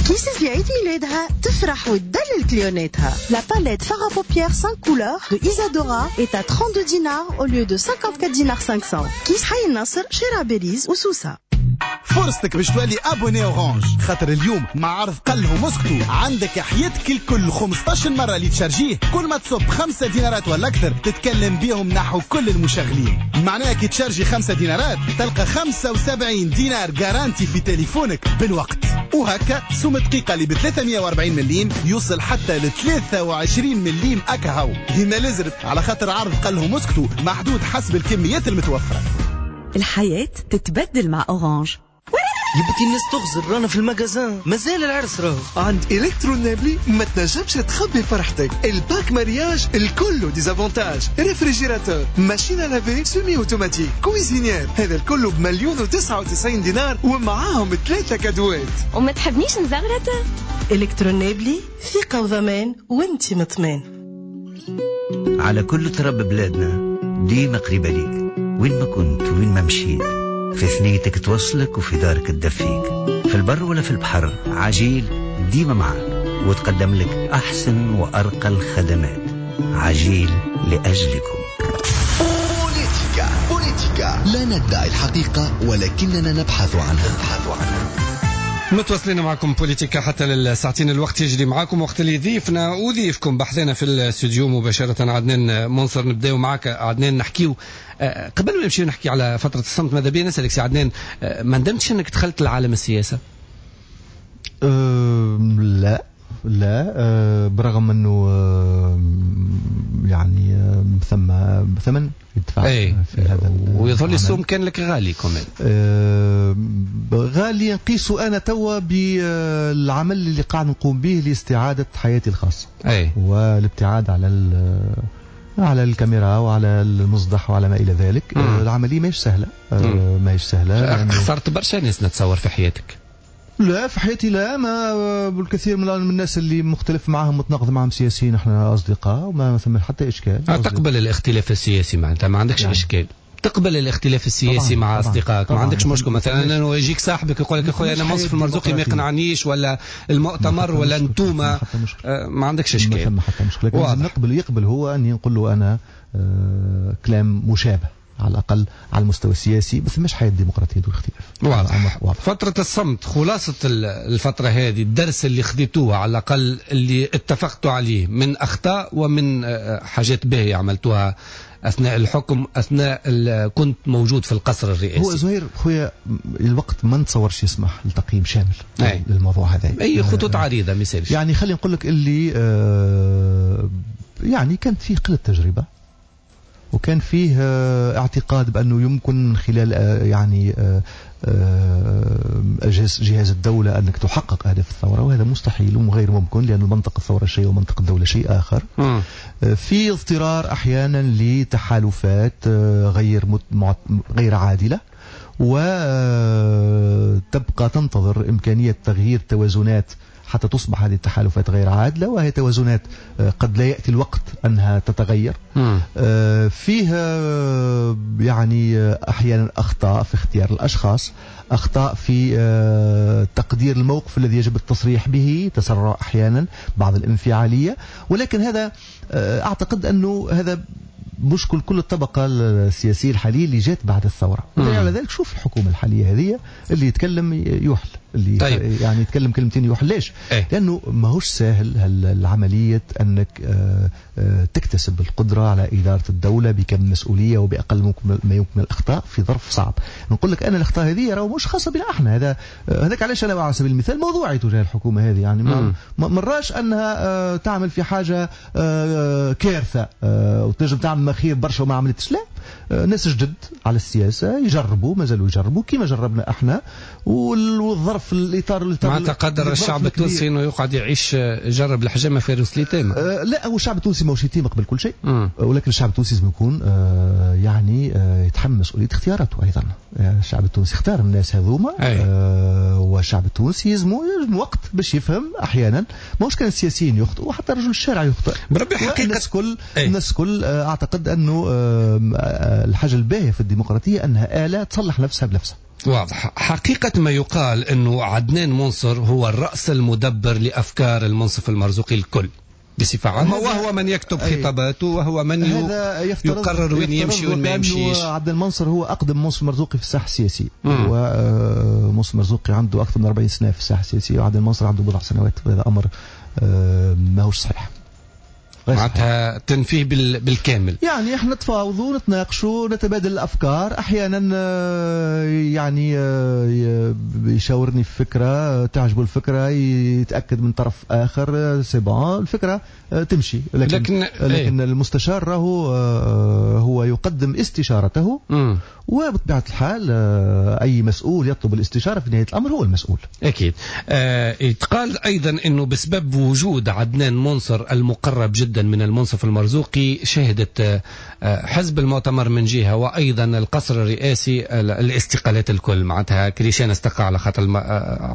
كيس في عيد ميلادها تفرح وتدلل كليوناتها. La palette fard à paupières 5 couleurs de Isadora est à 32 dinars au lieu de 54 dinars 500. كيس حي النصر، شارع باريس وسوسة. فرصتك باش تولي abonné Orange، خاطر اليوم مع عرض قلهم اسكتوا عندك حياتك الكل 15 مرة اللي تشارجيه، كل ما تصب 5 دينارات ولا أكثر تتكلم بيهم نحو كل المشغلين. معناها كي تشارجي 5 دينارات تلقى 75 دينار garantie في تليفونك بالوقت، وهكا سوم دقيقة اللي ب 340 مليم يوصل حتى ل 23 مليم أكهو. هنا لازرت على خاطر عرض قلهم اسكتوا محدود حسب الكميات المتوفرة. الحياة تتبدل مع Orange. يا بنتي الناس تغزر، رانا في ال magasin مازال العرس راهو. عند إلكترونابلي ما تنجمش تخبي فرحتك. ال pack mariage الكل des avantages، réfrigérateur، machine à laver semi-automatique، cuisinière، هذا الكل ب1,099 دينار ومعاهم 3 كادوات. وما تحبنيش نزغرت؟ إلكترونابلي ثقة وضمان وانت مطمئن. على كل تراب بلادنا ديما قريبة ليك، وين ما كنت وين ما مشيت، في ثنيتك توصلك وفي دارك تدفيك، في البر ولا في البحر عجيل ديما معك وتقدم لك أحسن وأرقى الخدمات. عجيل لأجلكم. بوليتيكا بوليتيكا، لا ندعي الحقيقة ولكننا نبحث عنها. متواصلين معكم بوليتيكا حتى للساعتين، الوقت يجري معكم وقت اللي ضيفنا وضيفكم بحثنا في الاستوديو مباشرة عدنان منصر. نبداو معك عدنان، نحكيو قبل ما نمشيو نحكي على فترة الصمت، ماذا بيا نسألك سي عدنان، ما ندمتش انك دخلت لعالم السياسة؟ لا لا، برغم انه يعني ثم ثمن يدفع تدفع. في هذا، ويظهر لي السوم كان لك غالي كمان. غالي نقيسه انا توا بالعمل اللي قاعد نقوم به لاستعادة حياتي الخاصة. والابتعاد على الكاميرا وعلى المصدح وعلى ما الى ذلك. العملية ماهيش سهلة، ماهيش سهلة. خسرت برشا ناس نتصور في حياتك. لا في حياتي لا، ما بالكثير من الناس اللي مختلف معهم متناقض معهم سياسيين احنا اصدقاء وما ثم حتى اشكال. تقبل الاختلاف السياسي معناتها ما عندكش اشكال؟ تقبل الاختلاف السياسي مع اصدقائك؟ ما عندكش مشكل مثلا انه يجيك صاحبك يقول لك اخويا انا منصف المرزوقي ما يقنعنيش ولا المؤتمر ولا انتوما، ما عندكش اشكال؟ ما حتى مشكلة. نقبل، يقبل هو اني نقول له انا كلام مشابه على الأقل على المستوى السياسي، بس مش حياة ديمقراطية دون اختلاف. واضح. فترة الصمت، خلاصة الفترة هذه، الدرس اللي خذيتوه على الأقل اللي اتفقتوا عليه من أخطاء ومن حاجات باهية عملتوها أثناء الحكم، أثناء كنت موجود في القصر الرئاسي. هو زهير خويا الوقت ما نتصورش يسمح لتقييم شامل للموضوع هذا. أي خطوط عريضة مثال. يعني خلينا نقول لك اللي يعني كانت فيه قلة تجربة، وكان فيه اعتقاد بأنه يمكن من خلال يعني جهاز الدولة أنك تحقق أهداف الثورة، وهذا مستحيل وغير ممكن، لأن منطق الثورة شيء ومنطق الدولة شيء آخر. في اضطرار أحيانا لتحالفات غير عادلة، وتبقى تنتظر إمكانية تغيير توازنات حتى تصبح هذه التحالفات غير عادلة، وهي توازنات قد لا يأتي الوقت أنها تتغير. فيها يعني أحيانا أخطاء في اختيار الأشخاص، أخطاء في تقدير الموقف الذي يجب التصريح به، تسرع أحيانا، بعض الانفعالية، ولكن هذا أعتقد أنه هذا مشكل كل الطبقة السياسية الحالية اللي جات بعد الثورة. على ذلك شوف الحكومة الحالية هذه اللي يتكلم يحل، اللي طيب. يعني يتكلم كلمتين يحل. ليش؟ لأنه ماهوش ساهل العملية أنك تكتسب القدرة على إدارة الدولة بكم مسؤولية وبأقل ما يمكن الأخطاء في ظرف صعب. نقول لك أنا الأخطاء هذه راهو مش خاصة بنا احنا، هذاك علاش أنا على سبيل المثال موضوعي تجاه الحكومة هذه، يعني ما مراش أنها تعمل في حاجة كارثة وتنجم تعمل مخير برشا وما عملتش. لا، ناس جدد على السياسة يجربوا، ما زالوا يجربوا كما جربنا احنا، والظرف الإطار ما تقدر الشعب التونسي انه يقعد يعيش جرب الحجامة في روس اليتامى. لا، هو الشعب التونسي ماهوش يتيم قبل كل شيء، ولكن الشعب التونسي لازم يكون يعني يتحمل مسؤولية اختياراته أيضا. الشعب التونسي اختار الناس هذوما، والشعب التونسي يلزمو وقت باش يفهم أحيانا. ماهوش كان السياسيين يخطئوا، وحتى رجل الشارع يخطئ. بربي حقيقة الناس الكل أعتقد أنه الحاجة الباهية في الديمقراطية أنها آلة تصلح نفسها بنفسها. واضح. حقيقة ما يقال أنه عدنان منصر هو الرأس المدبر لأفكار المنصف المرزوقي الكل بصفة عامة، وهو من يكتب خطاباته، وهو من يقرر وين يمشي وين ما يمشيش. عدنان منصر هو أقدم منصف مرزوقي في الساحة السياسية، ومنصف مرزوقي عنده أكثر من 40 سنة في الساحة السياسية، وعدنان منصر عنده بضع سنوات، وهذا أمر ماهوش صحيح. معناتها تنفيه بالكامل. يعني احنا نتفاوضوا، نتناقشوا، نتبادل الافكار، احيانا يعني يشاورني في فكرة، تعجبه الفكرة، يتاكد من طرف اخر، c'est bon الفكرة تمشي. لكن المستشار راهو هو يقدم استشارته، وبطبيعة الحال اي مسؤول يطلب الاستشارة في نهاية الامر هو المسؤول. اكيد. يتقال ايضا انه بسبب وجود عدنان منصر المقرب جدا من المنصف المرزوقي، شهدت حزب المؤتمر من جهة وأيضا القصر الرئاسي الاستقالات الكل. معناتها كريشان استقى على خاطر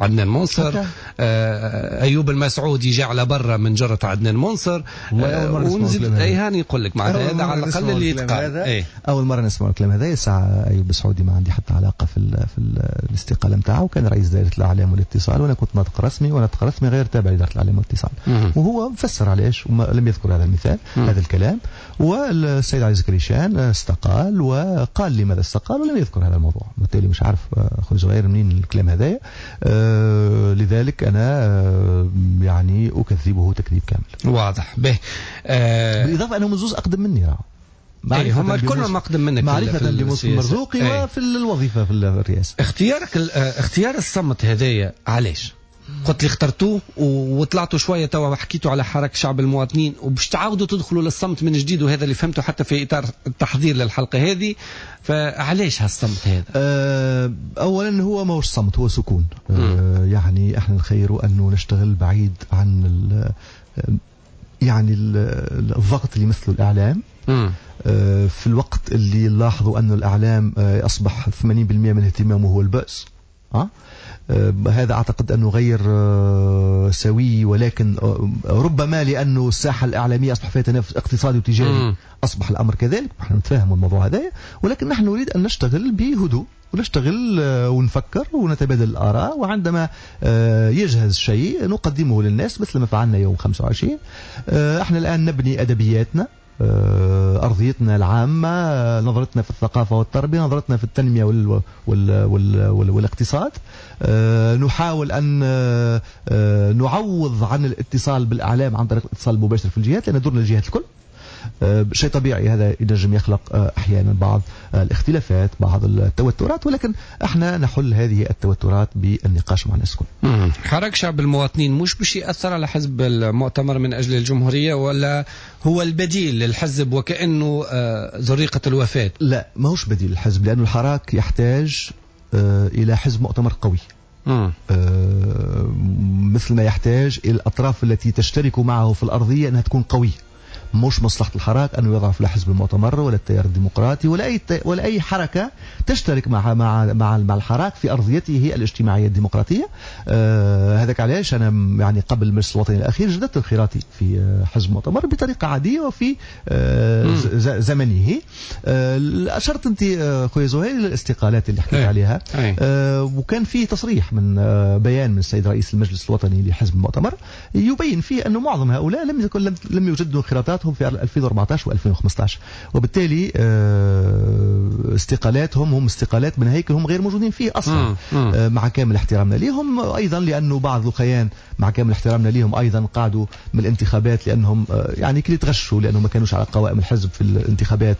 عدنان منصر، أيوب المسعود جاء على برا من جرة عدنان منصر، ونزيد أي هاني يقول لك معناتها هذا على الأقل اللي يتقال. أول مرة نسمع الكلام هذا. ساعة أيوب السعودي ما عندي حتى علاقة في الاستقالة نتاعه، وكان رئيس دائرة الإعلام والاتصال، وأنا كنت ناطق رسمي، وناطق رسمي غير تابع لإدارة الإعلام والاتصال، وهو فسر علاش وما لم يذكر هذا المثال، هذا الكلام. والسيد عزيز كريشان استقال وقال لماذا استقال ولم يذكر هذا الموضوع، بالتالي مش عارف اخوي زهير منين الكلام هذايا. لذلك انا يعني اكذبه تكذيب كامل. واضح به. بالاضافة انهم زوز اقدم مني، راهو هم الكل اقدم منك معرفة بمنصف المرزوقي وفي الوظيفة في الرئاسة. اختيارك اختيار الصمت هذايا علاش؟ قلت لي اخترتوه وطلعتوا شوية توا حكيتوا على حركة شعب المواطنين وباش تعاودوا تدخلوا للصمت من جديد، وهذا اللي فهمته حتى في اطار التحضير للحلقة هذه، فعلاش هالصمت هذا؟ اولا هو ماهوش صمت، هو سكون. يعني احنا نخيروا انه نشتغل بعيد عن يعني الضغط اللي مثله الاعلام. في الوقت اللي لاحظوا أن الإعلام أصبح 80% من اهتمامه هو البأس، هذا أعتقد أنه غير سوي، ولكن ربما لأنه الساحة الإعلامية أصبح فيها تنافس اقتصادي وتجاري أصبح الأمر كذلك، نحن نتفاهم الموضوع هذا، ولكن نحن نريد أن نشتغل بهدوء ونشتغل ونفكر ونتبادل الآراء، وعندما يجهز شيء نقدمه للناس مثل ما فعلنا يوم 25. احنا الآن نبني أدبياتنا، أرضيتنا العامة، نظرتنا في الثقافة والتربية، نظرتنا في التنمية وال وال وال والاقتصاد. نحاول أن نعوض عن الاتصال بالإعلام عن طريق الاتصال المباشر في الجهات، لأن دورنا الجهات الكل. شيء طبيعي هذا ينجم يخلق أحيانا بعض الاختلافات، بعض التوترات، ولكن احنا نحل هذه التوترات بالنقاش مع الناس الكل. حركة شعب المواطنين مش باش يأثر على حزب المؤتمر من أجل الجمهورية، ولا هو البديل للحزب وكأنه زريقة الوفاة؟ لا، ماهوش بديل للحزب، لأن الحراك يحتاج إلى حزب مؤتمر قوي. مثل ما يحتاج إلى الأطراف التي تشترك معه في الأرضية أنها تكون قوية. مش مصلحة الحراك أنه يضعف لا حزب المؤتمر ولا التيار الديمقراطي ولا أي حركة تشترك مع مع مع مع الحراك في أرضيته الاجتماعية الديمقراطية. هذاك علاش أنا يعني قبل المجلس الوطني الأخير جددت انخراطي في حزب المؤتمر بطريقة عادية وفي زمنه. أشرت أنت خويا زهير للاستقالات اللي حكيت عليها، وكان في تصريح من بيان من السيد رئيس المجلس الوطني لحزب المؤتمر يبين فيه أنه معظم هؤلاء لم يجددوا انخراطاتهم في 2014 و2015، وبالتالي استقالاتهم هم استقالات من هيكل هم غير موجودين فيه اصلا. مع كامل احترامنا لهم ايضا، لانه بعض الخيان مع كامل احترامنا لهم ايضا قعدوا من الانتخابات لانهم يعني كل تغشوا لانهم ما كانوش على قوائم الحزب في الانتخابات،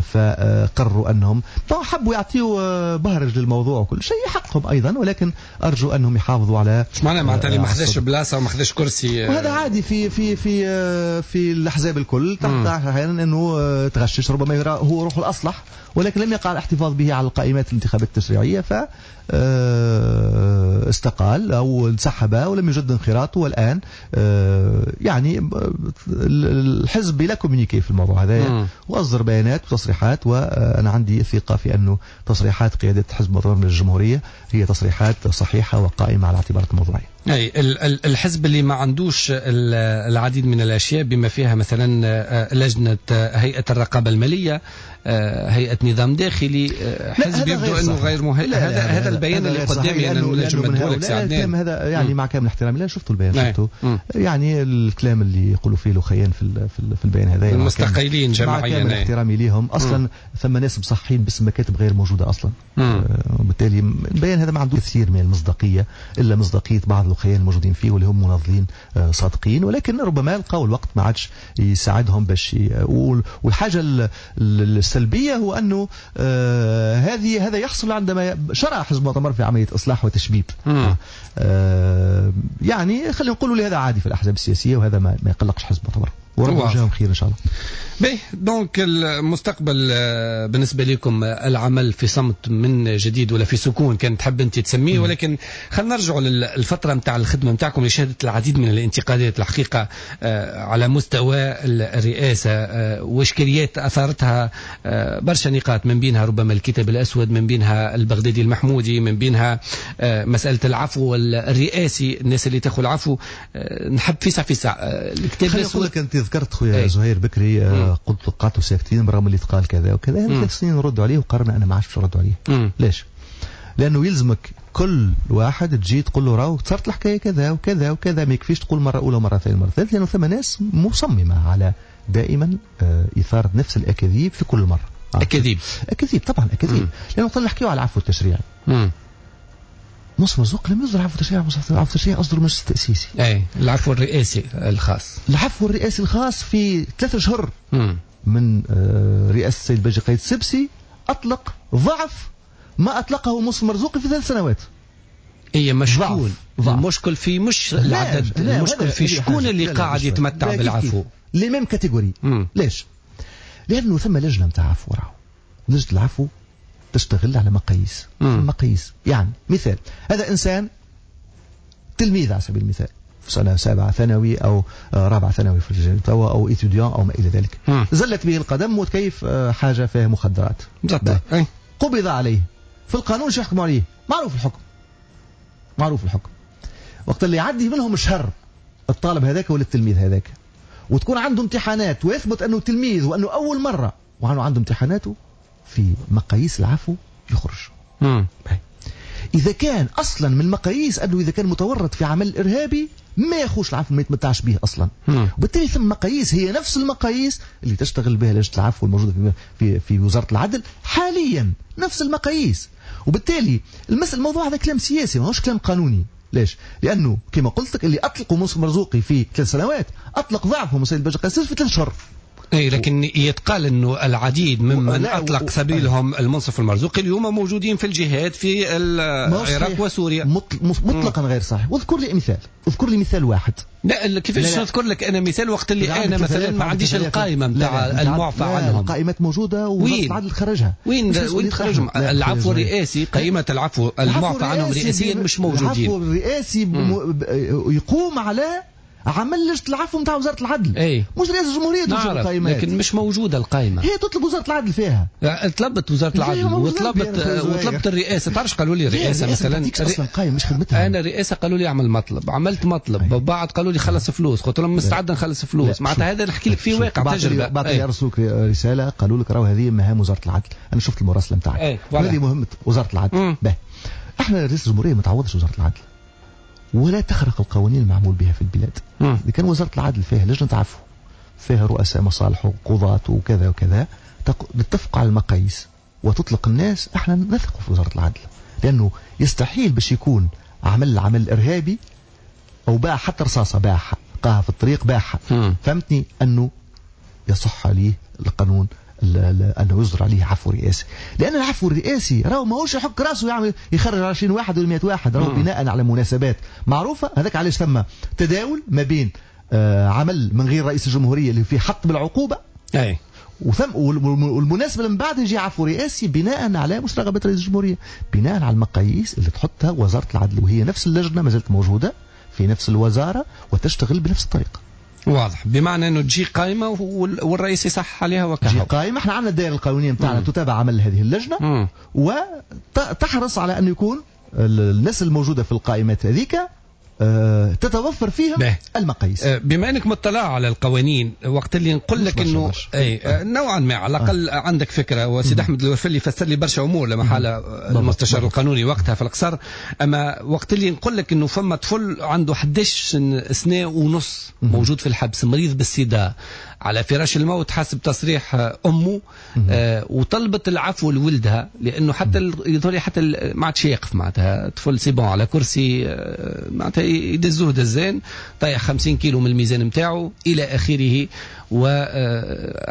فقرروا انهم حبوا يعطيوا بهرج للموضوع وكل شيء حقهم ايضا، ولكن ارجو انهم يحافظوا على معناتها اللي ما خذاش بلاصة وما خذاش كرسي، وهذا عادي في في في في الاحزاب الكل تحت احيانا انه تغشش، ربما يرى هو روحه الاصلح، ولكن لم يقع الاحتفاظ به على القائمات الانتخابات التشريعية، ف استقال او انسحب ولم يجد انخراطه، والان يعني الحزب بلا communiqué في الموضوع هذا، واصدر بيانات وتصريحات، وانا عندي ثقة في انه تصريحات قيادة حزب المؤتمر من الجمهورية هي تصريحات صحيحه وقائمة على اعتبارات الموضوعية. اي الحزب اللي ما عندوش العديد من الاشياء بما فيها مثلا لجنة هيئة الرقابة المالية، هيئة نظام داخلي، حزب يبدو انه غير مهيئ. هذا البيان اللي قدامي انا نجم ندهولك سي هذا يعني مع كامل احترامي لا شفتوا البيان، شفته يعني الكلام اللي يقولوا فيه الخيان في البيان هذا المستقيلين جماعيا، مع كامل احترامي ليهم اصلا ثم ناس مصحين باسم مكاتب غير موجودة اصلا، وبالتالي البيان هذا ما عنده كثير من المصداقية الا مصداقية بعض الخيان الموجودين فيه واللي هم مناضلين صادقين، ولكن ربما لقاو الوقت ما عادش يساعدهم باش. والحاجة السلبية هو انه هذا يحصل عندما شرع حزب المؤتمر في عملية اصلاح وتشبيب. يعني خلينا نقولوا لهذا عادي في الاحزاب السياسية، وهذا ما يقلقش حزب المؤتمر، وربنا يجزاهم خير ان شاء الله. باهي، donc المستقبل بالنسبة لكم العمل في صمت من جديد ولا في سكون كان تحب انت تسميه، ولكن خلينا نرجعوا للفترة نتاع الخدمة نتاعكم اللي شهدت العديد من الانتقادات الحقيقة على مستوى الرئاسة، واشكاليات اثارتها برشا نقاط، من بينها ربما الكتاب الاسود، من بينها البغدادي المحمودي، من بينها مسالة العفو الرئاسي، الناس اللي تاخذ العفو. نحب فيسع فيسع الكتاب الاسود. انت ذكرت خويا زهير بكري قلت قعدتوا ساكتين برغم اللي تقال كذا وكذا، هذا 3 سنين نردوا عليه وقررنا انا ما عادش باش نردوا عليه. ليش؟ لانه يلزمك كل واحد تجي تقول له راهو صارت الحكاية كذا وكذا وكذا، ما يكفيش تقول مرة اولى ومرة ثانية ومرة ثالثة، لانه ثم ناس مصممه على دائما اثاره نفس الاكاذيب في كل مرة. اكاذيب اكاذيب طبعا اكاذيب، لانه وقت نحكيو على العفو التشريعي منصف مرزوقي لم يصدر عفو تشريعي، عفو تشريعي اصدر المجلس التاسيسي. اي العفو الرئاسي الخاص. العفو الرئاسي الخاص في 3 اشهر من رئاسة السيد باجي قايد السبسي اطلق ضعف ما اطلقه منصف مرزوقي في 3 سنوات. اي مشكون المشكل في مش العدد، المشكل في شكون اللي قاعد يتمتع بالعفو. les mêmes catégories. ليش؟ لانه ثم لجنة نتاع عفو، راهو لجنة العفو تشتغل على مقاييس. مقاييس يعني مثال، هذا انسان تلميذ على سبيل المثال في سنة سابعه ثانوي او رابعه ثانوي في الجامعة توا او étudiant او ما الى ذلك، زلت به القدم وتكيف حاجة فيها مخدرات، قبض عليه. في القانون شو يحكموا عليه؟ معروف الحكم، معروف الحكم. وقت اللي يعدي منهم شهر الطالب هذاك ولا التلميذ هذاك، وتكون عنده امتحانات ويثبت انه تلميذ وانه اول مرة وانه عنده امتحاناته، في مقاييس العفو يخرج. اذا كان اصلا من المقاييس انه اذا كان متورط في عمل ارهابي ما ياخوش العفو، ما يتمتعش به اصلا. وبالتالي ثم مقاييس هي نفس المقاييس اللي تشتغل بها لجنة العفو الموجودة في وزارة العدل حاليا، نفس المقاييس. وبالتالي الموضوع هذا كلام سياسي ماهوش كلام قانوني. ليش؟ لانه كما قلت لك اللي اطلقوا منصف مرزوقي في 3 سنوات اطلق ضعفهم السيد الباجي قائد السبسي في 3 شهور. اي لكن يتقال انه العديد ممن اطلق سبيلهم المنصف المرزوقي اليوم موجودين في الجهاد في العراق وسوريا. مطلقا غير صحيح. واذكر لي مثال، اذكر لي مثال واحد. لا كيفاش نذكر لك انا مثال وقت اللي انا مثلا ما عنديش القائمة نتاع المعفى عنهم؟ القائمات موجودة ووزارة العدل خرجها. وين تخرجهم؟ العفو الرئاسي، قائمة العفو المعفى عنهم رئاسيا مش موجودين. العفو الرئاسي يقوم على عمل لجنة العفو نتاع وزارة العدل. أي. مش رئاسة الجمهورية تنشر القائمات، لكن مش موجودة القائمة. هي تطلب وزارة العدل فيها. طلبت وزارة العدل وطلبت الرئاسة. تعرفش قالوا لي الرئاسة مثلا اصلا قائمة مش خدمتها. انا الرئاسة قالوا لي اعمل مطلب، عملت مطلب. بعد قالوا لي خلص فلوس، قلت لهم مستعد نخلص فلوس. معناتها هذا نحكي لك فيه واقع تجربه. بعد يرسلوك رسالة قالوا لك راهو هذه مهام وزارة العدل. انا شفت المراسله نتاعك، هذه مهمة وزارة العدل. باهي، احنا رئاسة الجمهورية ما تعوضش وزارة العدل ولا تخرق القوانين المعمول بها في البلاد. إذا كان وزارة العدل فيها لجنة عفو، فيها رؤساء مصالح وقضاة وكذا وكذا، نتفق على المقاييس وتطلق الناس. احنا نثق في وزارة العدل، لأنه يستحيل باش يكون عمل إرهابي أو باع حتى رصاصة، باعها قاها في الطريق باعها، فهمتني، أنه يصح عليه القانون أنه يصدر عليه عفو رئاسي. لأن العفو الرئاسي راهو ماهوش يحك راسه يعمل يخرج 20 واحد ولا 100 واحد، راهو بناء على مناسبات معروفة. هذاك علاش ثم تداول ما بين عمل من غير رئيس الجمهورية اللي فيه حط بالعقوبة، أي، وثم والمناسبة من بعد يجي عفو رئاسي بناء على مش رغبة رئيس الجمهورية، بناء على المقاييس اللي تحطها وزارة العدل، وهي نفس اللجنة ما زالت موجودة في نفس الوزارة وتشتغل بنفس الطريقة. واضح، بمعنى انه تجي قائمة والرئيس يصح عليها وكهو. تجي قائمة، احنا عندنا الدائرة القانونية نتاعنا تتابع عمل هذه اللجنة وتحرص على ان يكون الناس الموجودة في القائمات هذيك تتوفر فيهم المقاييس. بما انك مطلع على القوانين، وقت اللي نقول لك انه نوعا ما على الاقل عندك فكرة، وسيد احمد الورفلي فسر لي برشا امور لما حال المستشار القانوني وقتها في القصر. اما وقت اللي نقول لك انه فما طفل عنده 11 سنة ونص موجود في الحبس، مريض بالسيدا، على فراش الموت حسب تصريح امه، وطلبت العفو لولدها لانه حتى يظهر حتى ما عادش يقف، معناتها طفل c'est bon على كرسي، معناتها يدزوه دزان، طيح 50 كيلو من الميزان نتاعو الى اخره، و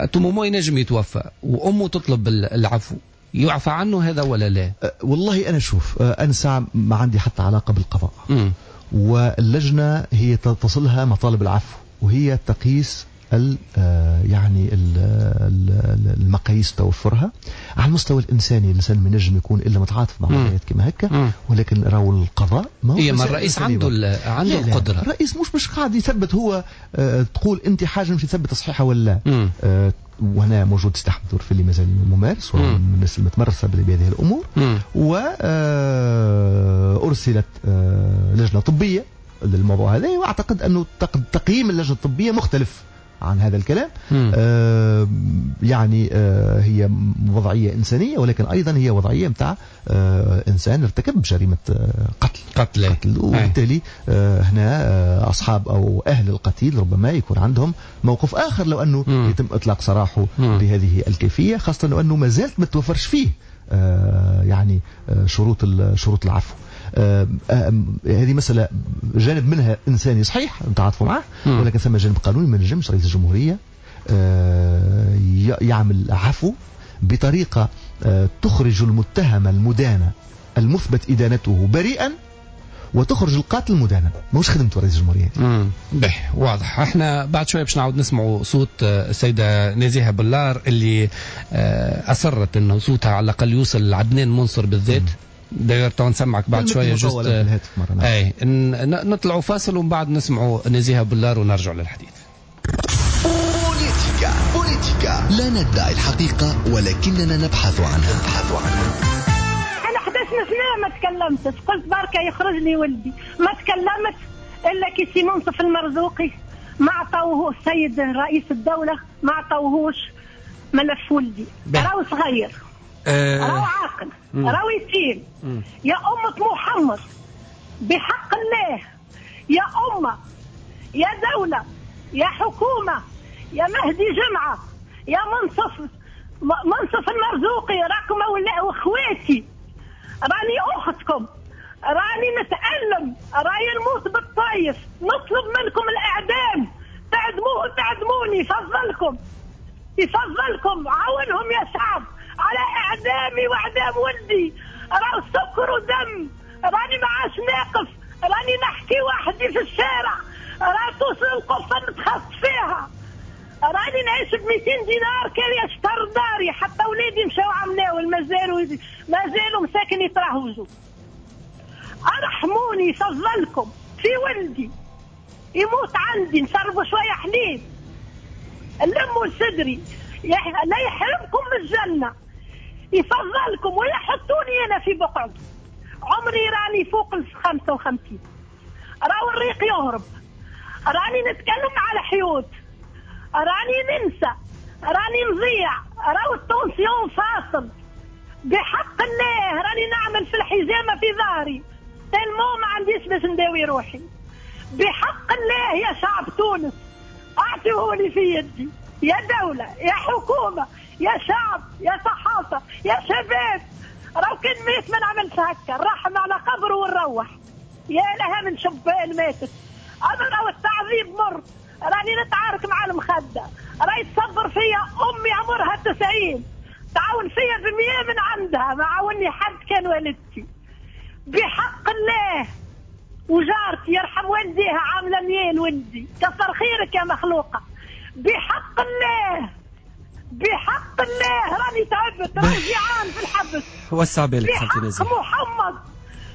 à tout moment ينجم يتوفى، وامه تطلب العفو. يعفى عنه هذا ولا لا؟ والله انا شوف، انا ساعة ما عندي حتى علاقة بالقضاء. واللجنة هي تصلها مطالب العفو، وهي تقيس يعني المقاييس توفرها على المستوى الانساني. الانسان ما ينجم يكون الا متعاطف مع وضعيات كما هكا، ولكن راهو القضاء ما هو ما الرئيس عنده عنده القدرة. الرئيس مش قاعد يثبت هو، تقول انت حاجة مش يثبت صحيحه ولا لا. وهنا موجود سي احمد الورفلي مازال ممارس ومن الناس المتمرسه بهذه الامور. وارسلت لجنة طبية للموضوع هذا، واعتقد انه تقييم اللجنة الطبية مختلف عن هذا الكلام. يعني هي وضعية إنسانية، ولكن أيضا هي وضعية متاع إنسان ارتكب جريمة قتل، وبالتالي هنا أصحاب أو أهل القتيل ربما يكون عندهم موقف آخر لو أنه يتم إطلاق سراحه بهذه الكيفية، خاصة لو أنه ما زالت ما توفرش فيه يعني شروط العفو. هذه مسألة جانب منها إنساني صحيح نتعاطفوا معه، ولكن ثم جانب قانوني. ما نجمش رئيس الجمهورية يعمل عفو بطريقة تخرج المتهم المدان المثبت إدانته بريئا، وتخرج القاتل مدانا. ماهوش خدمته رئيس الجمهورية. به واضح. احنا بعد شوية باش نعاود نسمعوا صوت السيدة نزيهة بلار اللي اصرت انه صوتها على الاقل يوصل لعدنان منصر بالذات. داير تو نسمعك بعد شوية juste. اي نطلعوا فاصل ومن بعد نسمعوا نزيهة بلار ونرجع للحديث. بوليتيكا بوليتيكا، لا ندعي الحقيقة ولكننا نبحث عنها. أنا 11 سنة ما تكلمتش، قلت بركة يخرج لي ولدي، ما تكلمت إلا كي سي منصف المرزوقي ما عطاوه السيد رئيس الدولة، ما عطاوهوش ملف ولدي. راهو صغير، راهو عاقل، راهو يتيم. يا أمة محمد بحق الله، يا أمة، يا دولة، يا حكومة، يا مهدي جمعة، يا منصف المرزوقي، راكم واخواتي، راني اختكم، راني نتألم، راني نموت بالطايف، نطلب منكم الاعدام، تعدموه تعدموني، فضلكم يفضلكم، عاونهم يا شعب على اعدامي واعدام ولدي. راهو سكر ودم، راني ما عادش ناقف، راني نحكي وحدي في الشارع، راه توصل القفه نتخص فيها، راني نعيش ب 200 دينار كان يشتر داري، حتى ولادي مشاو عملاو مازالوا مساكن يترهوجوا. ارحموني فضلكم في ولدي يموت عندي، نشربوا شوية حليب، لموا صدري، لا يحرمكم من الجنة، يفضلكم ويحطوني انا في بقعتي. عمري راني فوق ال 55، راهو الريق يهرب، راني نتكلم على حيوط، راني ننسى، راني نضيع، راهو ال tension فاصل بحق الله، راني نعمل في الحجامة في ظهري tellement ما عنديش باش نداوي روحي. بحق الله يا شعب تونس اعطيهولي في يدي، يا دولة، يا حكومة، يا شعب، يا صحافة، يا شباب، راهو كان ميت ما نعملش هكا، نرحم على قبره ونروح. يا لها من شبان ماتت. انا راهو التعذيب مر، راني نتعارك مع المخدة، راهي تصبر فيا أمي عمرها 90، تعاون فيا ب100 من عندها، ما عاوني حد كان والدتي. بحق الله وجارتي يرحم والديها عاملة 100 لولدي، كثر خيرك يا مخلوقة. بحق الله، بحق الله راني تعبت، راني جيعان في الحبس. وسع بالك خالتي نزيهة. بحق محمد،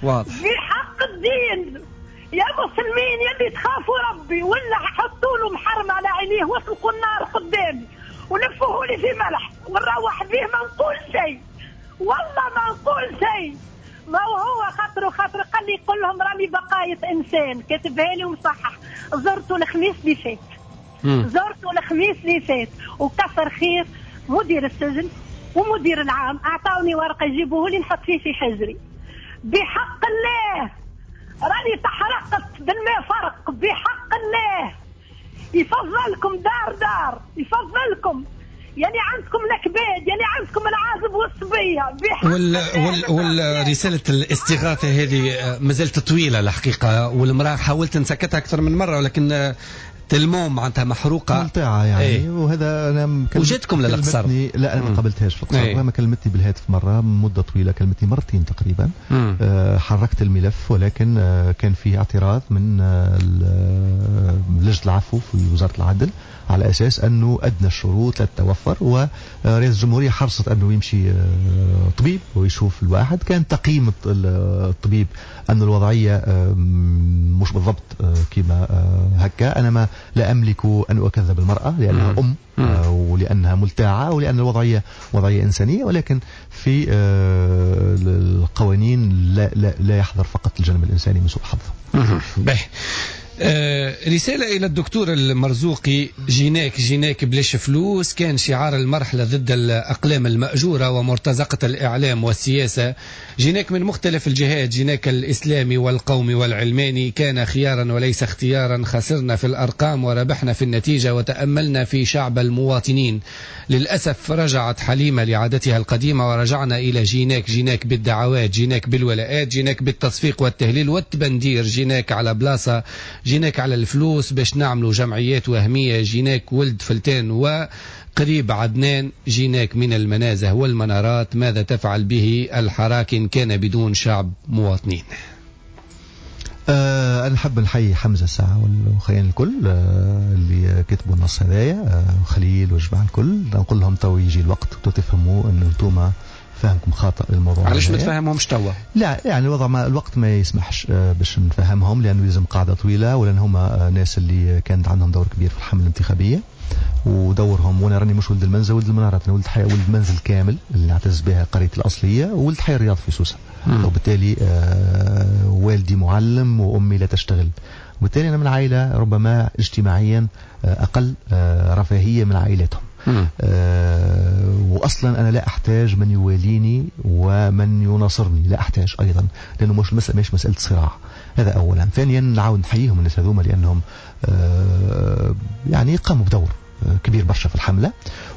واضح، بحق الدين يا مسلمين يلي تخافوا ربي، ولا حطوا له محرم على عينيه واطلقوا النار قدامي ولفوه لي في ملح ونروح به ما نقول شيء، والله ما نقول شيء. ما هو خاطر خاطر قال لي قل لهم راني بقاية انسان، كاتبها لي ومصحح. زرته الخميس اللي فات، زرته الخميس اللي فات، وكثر خير مدير السجن ومدير العام اعطوني ورقة يجيبوه لي نحط فيه في حجري. بحق الله راني تحرقت بالماء فرق. بحق الله يفضلكم دار دار، يفضلكم يعني عندكم الكباد، يعني عندكم العازب والصبيه. والرسالة الاستغاثة هذه مازالت طويلة الحقيقة، والمراة حاولت نسكتها اكثر من مرة ولكن تلموم معناتها محروقة ملطعه يعني. ايه. وهذا انا وجدتكم للقصر؟ لا انا ما قابلتهاش في القصر. ايه. ما كلمتني بالهاتف مرة مده طويلة، كلمتني مرتين تقريبا. حركت الملف ولكن كان فيه اعتراض من لجنة العفو في وزارة العدل على اساس انه ادنى الشروط لا تتوفر، ورئاسه الجمهورية حرصت انه يمشي طبيب ويشوف الواحد. كان تقييم الطبيب ان الوضعية مش بالضبط كما هكا. انا ما لا املك ان اكذب المراة لانها ام ولانها ملتاعه ولان الوضعية وضعية انسانيه، ولكن في القوانين لا, لا, لا يحضر فقط الجانب الانساني من سوء الحظ. به. رسالة إلى الدكتور المرزوقي: جيناك جيناك بلاش فلوس كان شعار المرحلة ضد الأقلام المأجورة ومرتزقة الإعلام والسياسة. جيناك من مختلف الجهات، جيناك الإسلامي والقومي والعلماني، كان خيارا وليس اختيارا. خسرنا في الأرقام وربحنا في النتيجة وتأملنا في شعب المواطنين. للأسف رجعت حليمة لعادتها القديمة ورجعنا إلى جيناك جيناك بالدعوات، جيناك بالولاءات، جيناك بالتصفيق والتهليل والتبندير، جيناك على بلاصة، جيناك على الفلوس باش نعملوا جمعيات وهمية، جيناك ولد فلتان وقريب عدنان، جيناك من المنازه والمنارات. ماذا تفعل به الحراك إن كان بدون شعب مواطنين؟ أنا نحب نحيي حمزة الساعة والخيان الكل اللي كتبوا النص هذايا، وخليل والجماعة الكل. نقول لهم تو يجي الوقت وتو تفهموا أن انتوما فهمكم خاطئ للموضوع. علاش ما تفهمهمش توا؟ لا يعني الوضع ما الوقت ما يسمحش باش نفهمهم، لأنه لازم قاعدة طويلة، ولأن هما ناس اللي كانت عندهم دور كبير في الحملة الانتخابية ودورهم. وانا راني مش ولد المنزل، ولد المنارات، انا ولد حي، ولد منزل كامل اللي نعتز بها قريتي الاصلية، وولد حي الرياض في سوسة. وبالتالي والدي معلم وامي لا تشتغل، وبالتالي انا من عائلة ربما اجتماعيا اقل رفاهية من عائلتهم. واصلا انا لا احتاج من يواليني ومن يناصرني، لا احتاج ايضا، لانه مش المسالة مش مسالة صراع. هذا اولا. ثانيا نعاود نحييهم الناس هذوما لانهم يعني قاموا بدور كبير برشا في الحملة،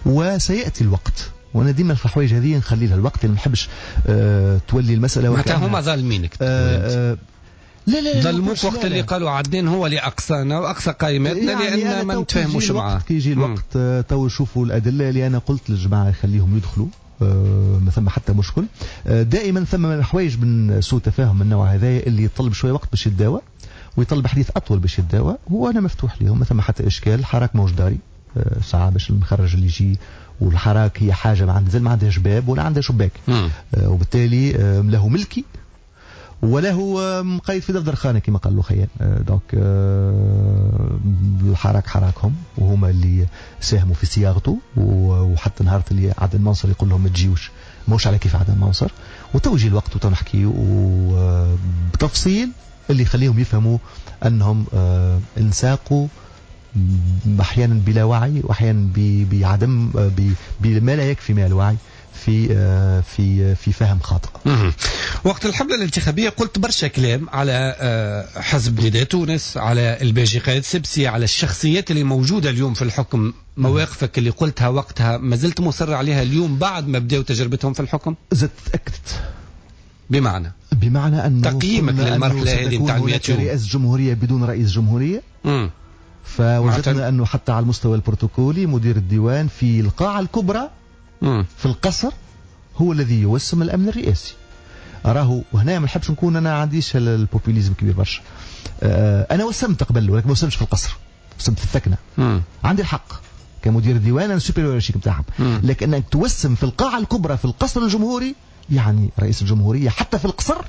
وسياتي الوقت. وانا ديما في الحوايج هذه نخلي لها الوقت، اللي ما نحبش تولي المسالة معناتها هما ظالمينك. لا لا ظلموك وقت اللي قالوا عدنان هو اللي اقصانا واقصى قائمتنا، يعني لان ما نتفاهموش معاه. كي يجي الوقت تو يشوفوا الادلة اللي انا قلت للجماعة خليهم يدخلوا، ما ثم حتى مشكل. دائما ثم حوايج من سوء تفاهم من النوع هذا اللي يطلب شوية وقت باش يتداوى، ويطلب حديث اطول باش يتداوى، وانا مفتوح لهم، ما ثم حتى اشكال. الحراك موش داري ساعة باش المخرج اللي يجي، والحراك هي حاجة ما عندها ما عندهاش باب ولا عندها شباك، وبالتالي له ملكي وله مقيد في دفتر خانه كما قال له خيال. donc الحراك حراكهم، وهما اللي ساهموا في صياغته، وحتى نهار اللي عدنان منصر يقول لهم ما تجيوش، ماهوش على كيف عدنان منصر. وتوجي الوقت وتنحكي وبتفصيل اللي يخليهم يفهموا انهم انساقوا احيانا بلا وعي، واحيانا بعدم بما لا يكفي من الوعي في في في فهم خاطئ. وقت الحملة الانتخابية قلت برشا كلام على حزب نداء تونس، على الباجي قائد سبسي، على الشخصيات اللي موجودة اليوم في الحكم. مواقفك اللي قلتها وقتها ما زلت مصر عليها اليوم بعد ما بداوا تجربتهم في الحكم؟ زدت تأكدت. بمعنى أنه تقييمك للمرحلة هذه نتاع 100 يوم، رئاسة جمهورية بدون رئيس جمهورية. فوجدنا أنه حتى على المستوى البروتوكولي مدير الديوان في القاعة الكبرى في القصر هو الذي يوسم الأمن الرئاسي. راهو وهنا ما نحبش نكون أنا عنديش ال populisme كبير برشا. أنا وسمت قبل، ولكن ما وسمتش في القصر، وسمت في الثكنة. عندي الحق كمدير الديوان، أنا supérieur hiérarchique نتاعهم. لكن أنك توسم في القاعة الكبرى في القصر الجمهوري، يعني رئيس الجمهورية حتى في القصر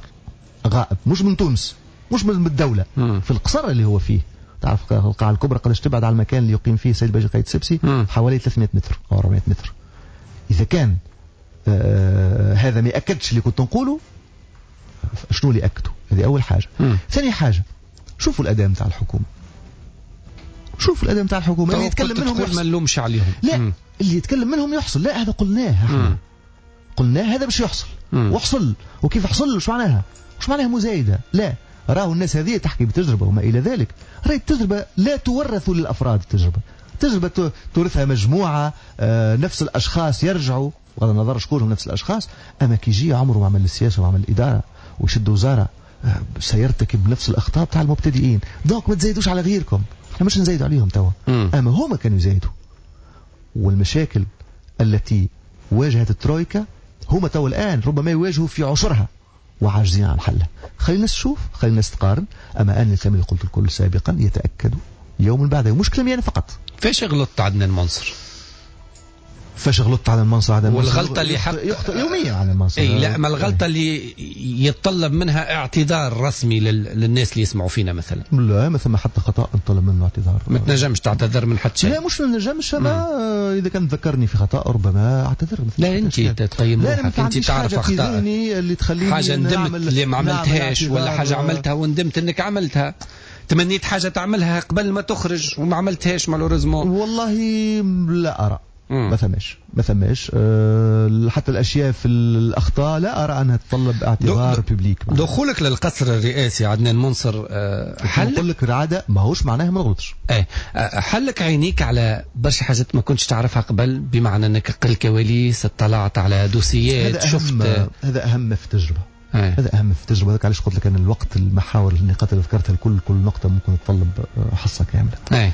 غائب، مش من تونس، مش من الدولة، في القصر اللي هو فيه. تعرف القاعة الكبرى قداش تبعد على المكان اللي يقيم فيه السيد باجي قايد سبسي؟ حوالي 300 متر أو 400 متر. إذا كان هذا ما يأكدش اللي كنت نقوله، شنو اللي أكده؟ هذه أول حاجة. ثاني حاجة، شوفوا الأداء نتاع الحكومة. شوفوا الأداء نتاع الحكومة اللي يتكلم منهم يحصل. ما نلومش عليهم. لا، اللي يتكلم منهم يحصل. لا، هذا قلناه احنا. قلناه هذا باش يحصل. وحصل. وكيف حصل؟ شو معناها؟ مش معناها مزايدة. لا، راهو الناس هذه تحكي بتجربة وما إلى ذلك. راهي التجربة لا تورث للأفراد. التجربة تورثها مجموعة، نفس الأشخاص يرجعوا، بغض النظر شكون هم نفس الأشخاص. أما كي يجي عمره ما عمل السياسة وعمل الإدارة ويشد وزارة، سيرتكب نفس الأخطاء بتاع المبتدئين. donc ما تزايدوش على غيركم، احنا مش نزايدوا عليهم توا، أما هما كانوا يزايدوا. والمشاكل التي واجهت الترويكا هما توا الآن ربما يواجهوا في عشرها وعاجزين عن حلها. خلينا الناس تشوف، خلينا الناس تقارن. أما أنا الكلام اللي قلت الكل سابقا يتأكدوا يوم بعد يوم، مش كلامي أنا فقط. فاش غلطت عدنان منصر؟ فاش غلطت على المنصر؟ عدنان منصر والغلطة اللي حق يخطئ يوميا على المنصر. اي لا، ما الغلطة اللي يتطلب منها اعتذار رسمي للناس اللي يسمعوا فينا مثلا؟ لا، ما ثم حتى خطأ نطلب منه اعتذار. ما تنجمش تعتذر من حتى شيء؟ لا، مش ما نجمش. ما اذا كان ذكرني في خطأ ربما اعتذر. لا، انت تقيم روحك، انت تعرف اخطائك اللي تخليني حاجة ندمت اللي ما عملتهاش، ولا حاجة عملتها وندمت انك عملتها، تمنيت حاجة تعملها قبل ما تخرج وما عملتهاش malheureusement. والله لا أرى. ما ثماش حتى الأشياء في الأخطاء لا أرى أنها تتطلب اعتذار public. دخولك للقصر الرئاسي عدنان منصر حل، نقول لك العادة ماهوش معناها ما نغلطش. حلك عينيك على برشا حاجات ما كنتش تعرفها قبل، بمعنى أنك قل كواليس، اطلعت على دوسيات، هذا شفت. هذا أهم في التجربة. هذا أهم في التجربة. هذاك علاش قلت لك أن الوقت، المحاور، النقاط اللي ذكرتها الكل، كل نقطة ممكن تطلب حصة كاملة.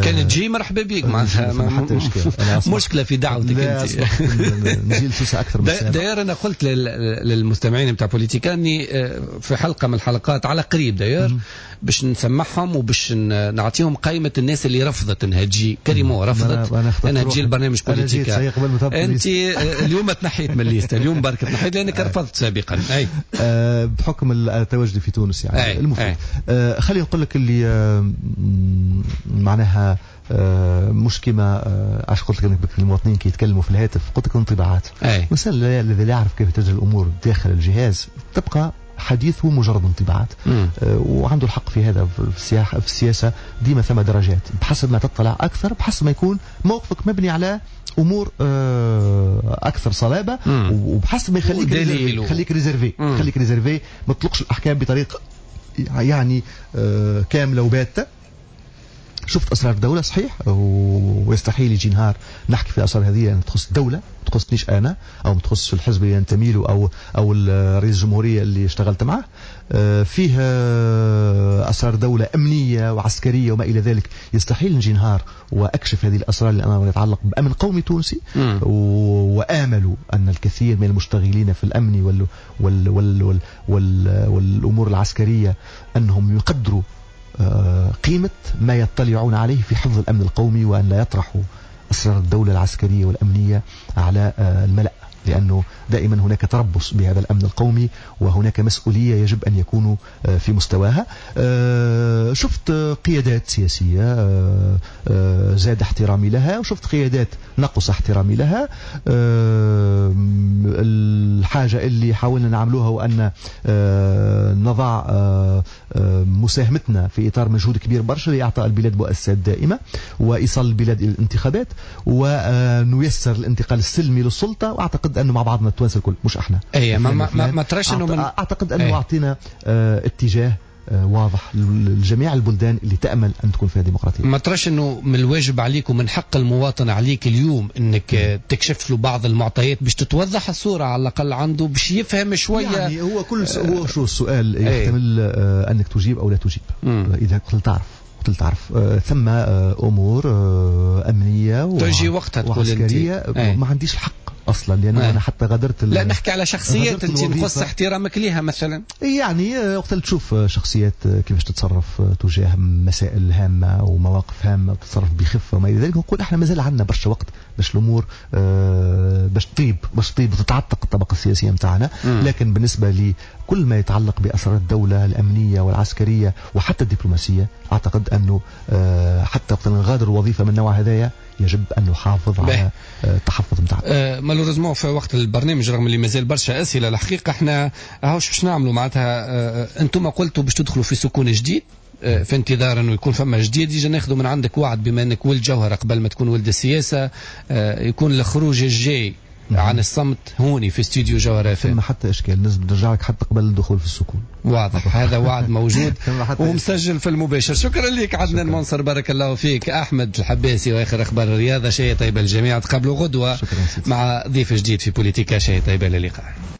كان كان تجي مرحبا بك، معناتها حتى اشكال. مشكلة في دعوتك انت. نجي لسوسه اكثر من d'ailleurs انا قلت للمستمعين نتاع بوليتيكا اني في حلقة من الحلقات على قريب d'ailleurs باش نسمعهم وباش نعطيهم قائمة الناس اللي رفضت انها تجي، carrément رفضت انها تجي البرنامج بوليتيكا. انت اليوم تنحيت من ال liste، اليوم برك تنحيت لانك رفضت سابقا. اي بحكم التواجد في تونس يعني. المفيد خليني نقول لك اللي معناها مش كما عاش قلت لك المواطنين كي يتكلموا في الهاتف، قلت لك انطباعات. الانسان الذي لا يعرف كيف تجري الامور داخل الجهاز تبقى حديثه مجرد انطباعات، وعنده الحق في هذا. في السياسة ديما ثم درجات، بحسب ما تطلع اكثر بحسب ما يكون موقفك مبني على امور اكثر صلابة، وبحسب ما يخليك خليك réservé، خليك réservé، ما تطلقش الاحكام بطريقة يعني كاملة وباته. شفت اسرار الدولة صحيح، ويستحيل يجي نهار نحكي في الاسرار هذه لان تخص الدولة، ما تخصنيش انا او ما تخص الحزب اللي ينتمي له او رئيس الجمهورية اللي اشتغلت معه. فيه اسرار دولة امنية وعسكرية وما الى ذلك، يستحيل نجي نهار واكشف هذه الاسرار لانها يتعلق بامن قومي تونسي. وامل ان الكثير من المشتغلين في الامن وال وال وال وال وال والامور العسكرية انهم يقدروا قيمة ما يطلعون عليه في حفظ الأمن القومي، وأن لا يطرحوا أسرار الدولة العسكرية والأمنية على الملأ، لأنه دائما هناك تربص بهذا الأمن القومي وهناك مسؤولية يجب أن يكونوا في مستواها. شفت قيادات سياسية زاد احترامي لها، وشفت قيادات نقص احترامي لها. الحاجة اللي حاولنا نعملوها وأن نضع مساهمتنا في إطار مجهود كبير برشا لإعطاء البلاد مؤسسات دائمة وإيصال البلاد إلى الانتخابات ونيسر الانتقال السلمي للسلطة. وأعتقد أنه مع بعضنا التوانسة الكل مش احنا. اي ما تراش انه من... اعتقد انه اعطينا اتجاه واضح لجميع البلدان اللي تأمل أن تكون فيها ديمقراطية. ما تراش أنه من الواجب عليك ومن حق المواطن عليك اليوم أنك تكشف له بعض المعطيات باش تتوضح الصورة على الأقل عنده باش يفهم شوية؟ يعني هو كل هو شو السؤال يحتمل أنك تجيب أو لا تجيب. إذا قلت تعرف ثم أمور أمنية تجي وقتها وعسكرية ما عنديش الحق اصلا، لانه انا حتى غادرت لا نحكي على شخصيات انت نقص احترامك ليها مثلا. يعني وقت اللي تشوف شخصيات كيفاش تتصرف تجاه مسائل هامة ومواقف هامة وتتصرف بخفة وما الى ذلك، نقول احنا مازال عندنا برشا وقت باش الامور باش تطيب وتتعتق الطبقة السياسية نتاعنا. لكن بالنسبة لكل ما يتعلق باسرار الدولة الامنية والعسكرية وحتى الدبلوماسية، اعتقد انه حتى وقت نغادر الوظيفة من النوع هذايا يجب ان نحافظ على التحفظ نتاعنا. malheureusement في وقت البرنامج رغم اللي مازال برشا اسئلة الحقيقة احنا هاوش باش نعملوا معناتها. انتم قلتوا باش تدخلوا في سكون جديد في انتظار انه يكون فما جديد، يجي ناخذوا من عندك وعد بما انك ولد جوهره قبل ما تكون ولد السياسة، يكون الخروج الجاي عن الصمت هوني في استوديو جوهرة اف. ما حتى اشكال، نرجع لك حتى قبل الدخول في السكون. واضح هذا وعد موجود ومسجل في المباشر. شكرا لك عدنان منصر، بارك الله فيك. احمد الحباسي واخر اخبار الرياضة. شيء طيب الجميع، تقابلوا غدوه مع ضيف جديد في بوليتيكا. شيء طيب، للقاء.